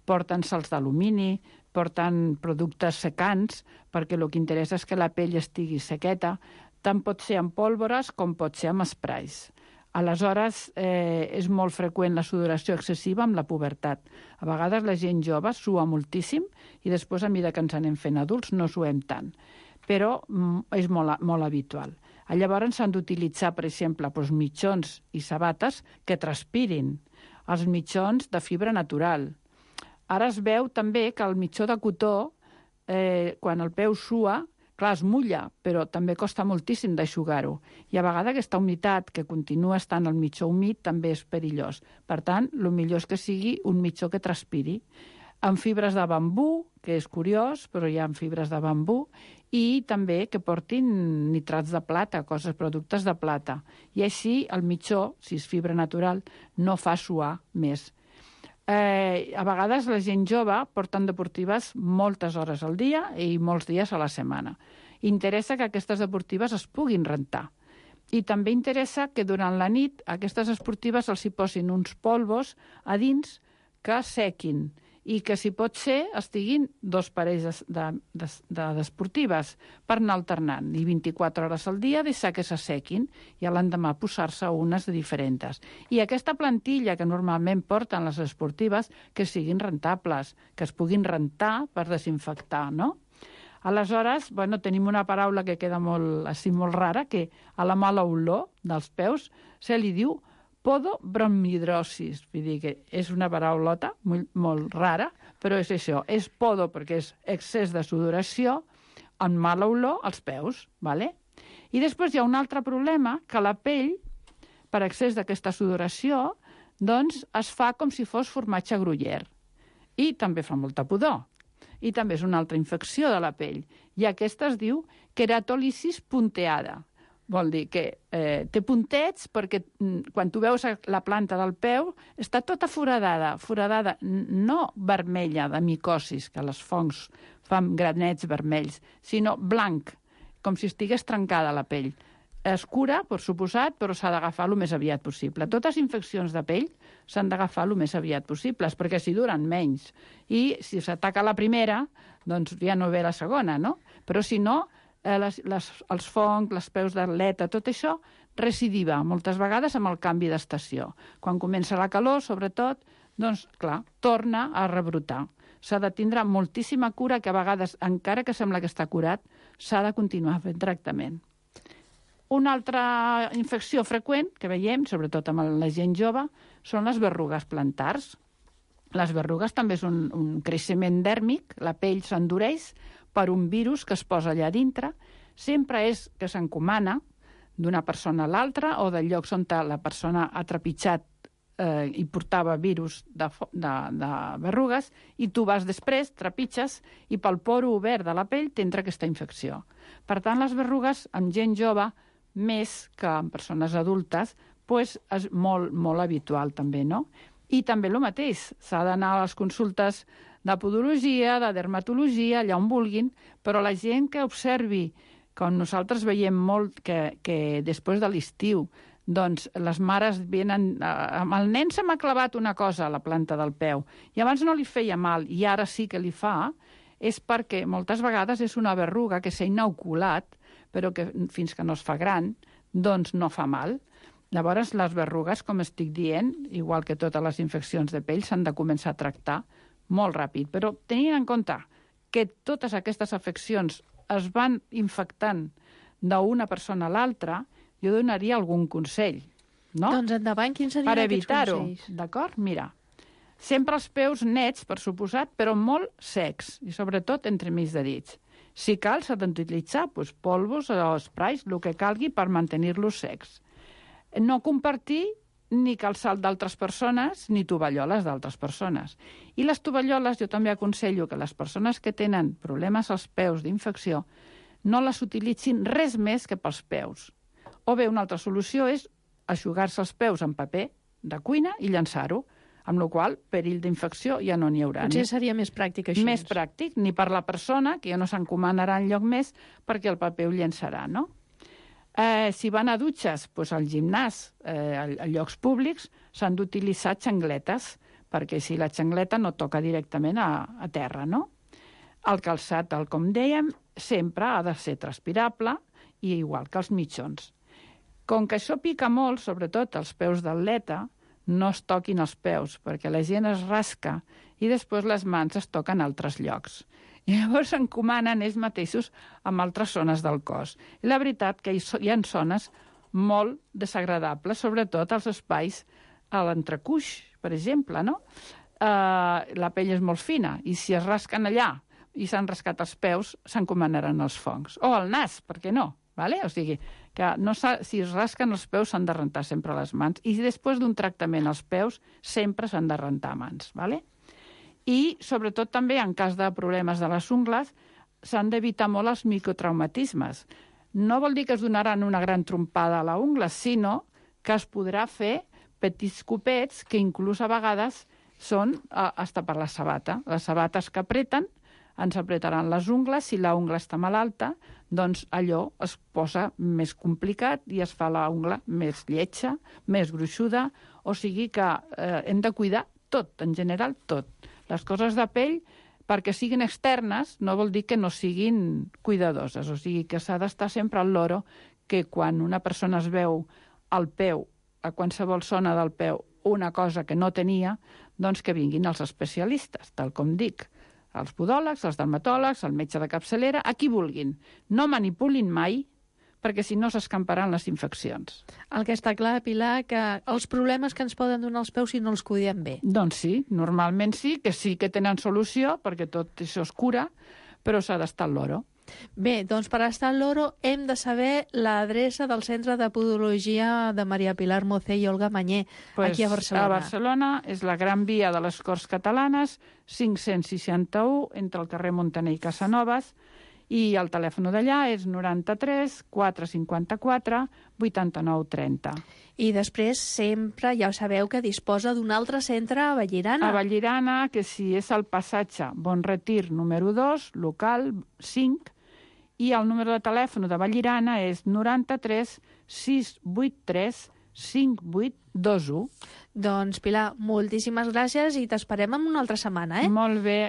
Porten sals d'alumini, porten productes secants, perquè el que interessa és que la pell estigui sequeta. Tant pot ser amb pólvores com pot ser amb sprays. Aleshores, eh, és molt freqüent la sudoració excessiva amb la pubertat. A vegades la gent jove sua moltíssim i després, a mesura que ens anem fent adults, no suem tant. Però és molt, molt habitual. Llavors s'han d'utilitzar, per exemple, doncs, mitjons i sabates que transpirin. Els mitjons de fibra natural. Ara es veu també que el mitjó de cotó, eh, quan el peu sua, clar, es mulla, però també costa moltíssim d'eixugar-ho. I a vegades aquesta humitat que continua estant al mitjó humit també és perillós. Per tant, el millor és que sigui un mitjó que transpiri. Amb fibres de bambú, que és curiós, però hi ha fibres de bambú, i també que portin nitrats de plata, coses, productes de plata. I així el mitjó, si és fibra natural, no fa suar més. Eh, a vegades la gent jove porten deportives moltes hores al dia i molts dies a la setmana. Interessa que aquestes deportives es puguin rentar. I també interessa que durant la nit aquestes esportives els hi posin uns polvos a dins que sequin i que, si pot ser, estiguin dos parells d'esportives per anar alternant. I vint-i-quatre hores al dia deixar que se sequin i a l'endemà posar-se unes de diferents. I aquesta plantilla que normalment porten les esportives, que siguin rentables, que es puguin rentar per desinfectar, no? Aleshores, bueno, tenim una paraula que queda molt, així, molt rara, que a la mala olor dels peus se li diu podobromhidrosis. Vull dir que és una paraulota molt, molt rara, però és això, és podo perquè és excés de sudoració amb mala olor als peus, ¿vale? I després hi ha un altre problema, que la pell, per excés d'aquesta sudoració, doncs es fa com si fos formatge gruyère. I també fa molta pudor. I també és una altra infecció de la pell. I aquesta es diu queratòlisis punteada. Vol dir que eh, té puntets perquè mm, quan tu veus la planta del peu està tota foradada, foradada no vermella de micosis, que les fongs fan granets vermells, sinó blanc, com si estigués trencada la pell. Es cura, per suposat, però s'ha d'agafar el més aviat possible. Totes les infeccions de pell s'han d'agafar el més aviat possible, perquè si duren menys. I si s'ataca la primera, doncs ja no ve la segona, no? Però si no, eh, les, les, els fongs, les peus d'atleta, tot això recidiva, moltes vegades amb el canvi d'estació. Quan comença la calor, sobretot, doncs, clar, torna a rebrotar. S'ha de tindre moltíssima cura, que a vegades, encara que sembla que està curat, s'ha de continuar fent tractament. Una altra infecció freqüent que veiem, sobretot amb la gent jove, són les berrugues plantars. Les berrugues també és un, un creixement dèrmic, la pell s'endureix per un virus que es posa allà dintre. Sempre és que s'encomana d'una persona a l'altra o de llocs on la persona ha trepitjat eh, i portava virus de, de, de berrugues, i tu vas després, trepitges, i pel poro obert de la pell t'entra aquesta infecció. Per tant, les berrugues amb gent jove, més que en persones adultes, doncs és molt, molt habitual també, no? I també el mateix, s'ha d'anar a les consultes de podologia, de dermatologia, allà on vulguin, però la gent que observi, com nosaltres veiem molt, que, que després de l'estiu, doncs les mares venen... Amb el nen se m'ha clavat una cosa a la planta del peu, i abans no li feia mal, i ara sí que li fa, és perquè moltes vegades és una berruga que s'ha inoculat, però que fins que no es fa gran, doncs no fa mal. Llavors, les berrugues, com estic dient, igual que totes les infeccions de pell, s'han de començar a tractar molt ràpid. Però tenint en compte que totes aquestes afeccions es van infectant d'una persona a l'altra, jo donaria algun consell, no? Doncs endavant, quins serien per aquests evitar-ho, consells? d'acord? Mira, sempre els peus nets, per suposat, però molt secs, i sobretot entre mig de dits. Si cal, s'ha d'utilitzar doncs, polvos o sprays, el que calgui per mantenir-los secs. No compartir ni calçat d'altres persones ni tovalloles d'altres persones. I les tovalloles, jo també aconsello que les persones que tenen problemes als peus d'infecció no les utilitzin res més que pels peus. O bé, una altra solució és eixugar-se els peus en paper de cuina i llançar-ho, amb la qual cosa perill d'infecció ja no n'hi haurà. Potser seria més pràctic així. Més pràctic, ni per la persona, que ja no s'encomanarà enlloc més, perquè el paper ho llençarà, no? Eh, si van a dutxes, doncs al gimnàs, eh, a, a llocs públics, s'han d'utilitzar xangletes, perquè si la xangleta no toca directament a, a terra, no? El calçat, tal com dèiem, sempre ha de ser transpirable, i igual que els mitjons. Com que això pica molt, sobretot els peus d'atleta, no es toquin els peus, perquè la gent es rasca i després les mans es toquen a altres llocs. I llavors s'encomanen ells mateixos amb altres zones del cos. I la veritat que hi ha zones molt desagradables, sobretot als espais a l'entrecuix, per exemple, no? Uh, la pell és molt fina, i si es rasquen allà i s'han rascat els peus, s'encomanaran els fongs. O el nas, per què no? Vale? O sigui, que no si es rasquen els peus s'han de rentar sempre les mans, i després d'un tractament als peus sempre s'han de rentar mans. Vale? I sobretot també en cas de problemes de les ungles s'han d'evitar molt els microtraumatismes. No vol dir que es donaran una gran trompada a la ungla, sinó que es podrà fer petits copets que inclús a vegades són hasta per la sabata. Les sabates que apreten ens apretaran les ungles. Si la ungla està malalta, doncs allò es posa més complicat i es fa la ungla més lletja, més gruixuda, o sigui que eh, hem de cuidar tot, en general tot. Les coses de pell, perquè siguin externes, no vol dir que no siguin cuidadoses, o sigui que s'ha d'estar sempre al loro que quan una persona es veu al peu, a qualsevol zona del peu, una cosa que no tenia, doncs que vinguin els especialistes, tal com dic. Els podòlegs, els dermatòlegs, el metge de capçalera, a qui vulguin. No manipulin mai, perquè si no s'escamparan les infeccions. El que està clar, Pilar, que els problemes que ens poden donar els peus si no els cuidem bé. Doncs sí, normalment sí, que sí que tenen solució, perquè tot això es cura, però s'ha d'estar al loro. Bé, doncs per estar al loro hem de saber l'adreça del Centre de Podologia de Maria Pilar Mocé i Olga Mañé, pues aquí a Barcelona. A Barcelona és la Gran Via de les Corts Catalanes, cinc-cents seixanta-u, entre el carrer Montaner i Casanovas, i el telèfon d'allà és noranta-tres quatre cinquanta-quatre vuitanta-nou trenta. I després sempre ja sabeu que disposa d'un altre centre a Vallirana. A Vallirana, que si és el passatge Bon Retir número dos, local cinc, i el número de telèfon de Vallirana és noranta-tres sis vuit tres cinc vuit dos u. Doncs, Pilar, moltíssimes gràcies i t'esperem en una altra setmana, eh? Molt bé.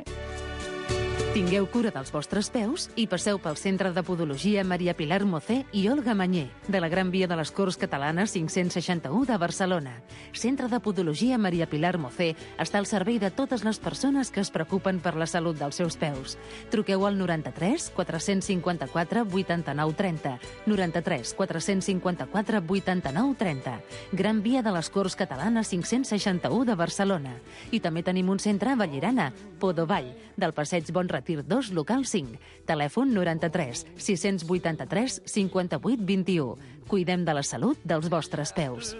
Tingueu cura dels vostres peus i passeu pel Centre de Podologia Maria Pilar Mocé i Olga Mañé, de la Gran Via de les Corts Catalanes cinc-cents seixanta-u de Barcelona. Centre de Podologia Maria Pilar Mocé està al servei de totes les persones que es preocupen per la salut dels seus peus. Truqueu al noranta-tres quatre cinquanta-quatre vuitanta-nou trenta, noranta-tres quatre cinquanta-quatre vuitanta-nou trenta. Gran Via de les Corts Catalanes cinc-cents seixanta-u de Barcelona. I també tenim un centre a Vallirana, Podovall, del passeig Bon Retir dos, local cinc. Telèfon noranta-tres sis vuitanta-tres cinquanta-vuit vint-i-u. Cuidem de la salut dels vostres peus.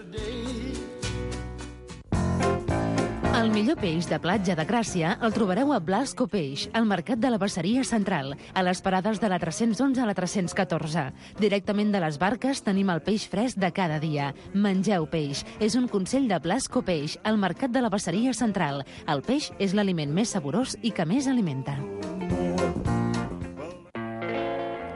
El millor peix de platja de Gràcia el trobareu a Blasco Peix, al Mercat de la Basseria Central, a les parades de la tres-cents onze a la tres-cents catorze. Directament de les barques tenim el peix fresc de cada dia. Mengeu peix. És un consell de Blasco Peix, al Mercat de la Basseria Central. El peix és l'aliment més saborós i que més alimenta.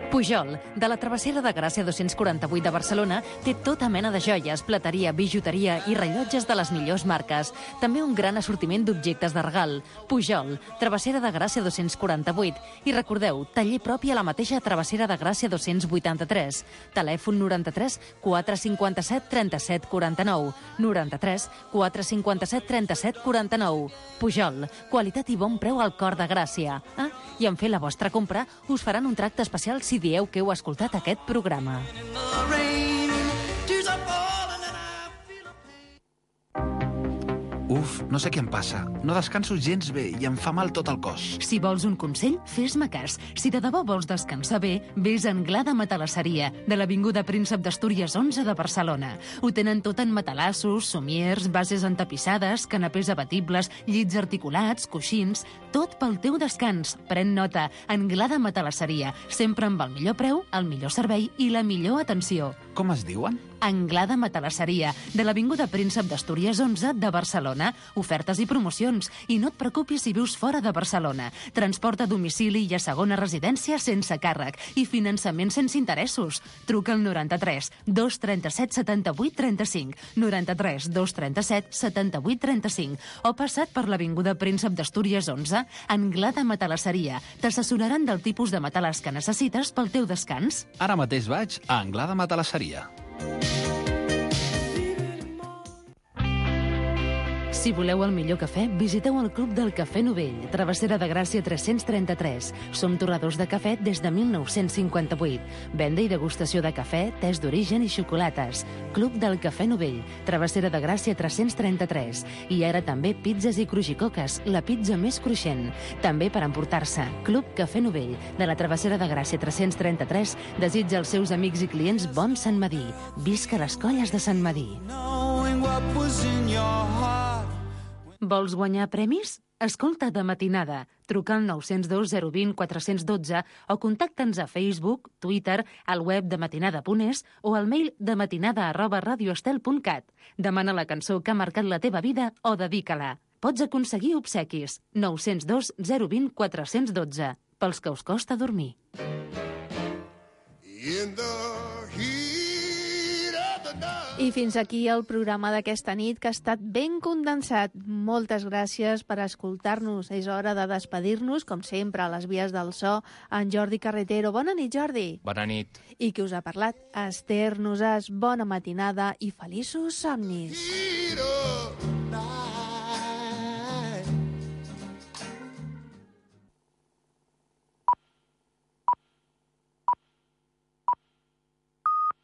Pujol, de la Travessera de Gràcia dos-cents quaranta-vuit de Barcelona, té tota mena de joies, plateria, bijuteria i rellotges de les millors marques. També un gran assortiment d'objectes de regal. Pujol, Travessera de Gràcia dos-cents quaranta-vuit. I recordeu, taller propi a la mateixa Travessera de Gràcia dos-cents vuitanta-tres. Telèfon noranta-tres quatre cinquanta-set trenta-set quaranta-nou. noranta-tres quatre cinquanta-set trenta-set quaranta-nou. Pujol, qualitat i bon preu al cor de Gràcia. Ah, i en fer la vostra compra us faran un tracte especial si dieu que heu escoltat aquest programa. Uf, no sé què em passa. No descanso gens bé i em fa mal tot el cos. Si vols un consell, fes-me cas. Si de debò vols descansar bé, vés a Anglada Matalasseria, de l'Avinguda Príncep d'Astúries onze de Barcelona. Ho tenen tot en matalassos, somiers, bases entapissades, canapés abatibles, llits articulats, coixins... Tot pel teu descans. Pren nota. Anglada Matalasseria. Sempre amb el millor preu, el millor servei i la millor atenció. Com es diuen? Anglada Matalasseria, de l'Avinguda Príncep d'Astúries onze de Barcelona. Ofertes i promocions. I no et preocupis si vius fora de Barcelona. Transport a domicili i a segona residència sense càrrec. I finançament sense interessos. Truca al noranta-tres dos trenta-set setanta-vuit trenta-cinc, noranta-tres dos trenta-set setanta-vuit trenta-cinc, o passat per l'Avinguda Príncep d'Astúries onze, Anglada Matalasseria. T'assessoraran del tipus de matalàs que necessites pel teu descans. Ara mateix vaig a Anglada Matalasseria. Si voleu el millor cafè, visiteu el Club del Cafè Novell, Travessera de Gràcia tres-cents trenta-tres. Som torradors de cafè des de mil nou-cents cinquanta-vuit. Venda i degustació de cafè, tés d'origen i xocolates. Club del Cafè Novell, Travessera de Gràcia tres-cents trenta-tres. I ara també pizzas i crujicoques, la pizza més cruixent. També per emportar-se. Club Cafè Novell, de la Travessera de Gràcia tres-cents trenta-tres, desitja als seus amics i clients bon Sant Madí. Visca les colles de Sant Madí. Vols guanyar premis? Escolta De Matinada. Truca al nou zero dos zero dos zero quatre un dos o contacta'ns a Facebook, Twitter, al web de matinada punt es o al mail dematinada arroba radioestel punt cat. Demana la cançó que ha marcat la teva vida o dedica-la. Pots aconseguir obsequis. nou zero dos zero dos zero quatre un dos. pels que us costa dormir. I fins aquí el programa d'aquesta nit, que ha estat ben condensat. Moltes gràcies per escoltar-nos. És hora de despedir-nos, com sempre, a les vies del so, en Jordi Carretero. Bona nit, Jordi. Bona nit. I qui us ha parlat? Esther Nosàs. Bona matinada i feliços somnis.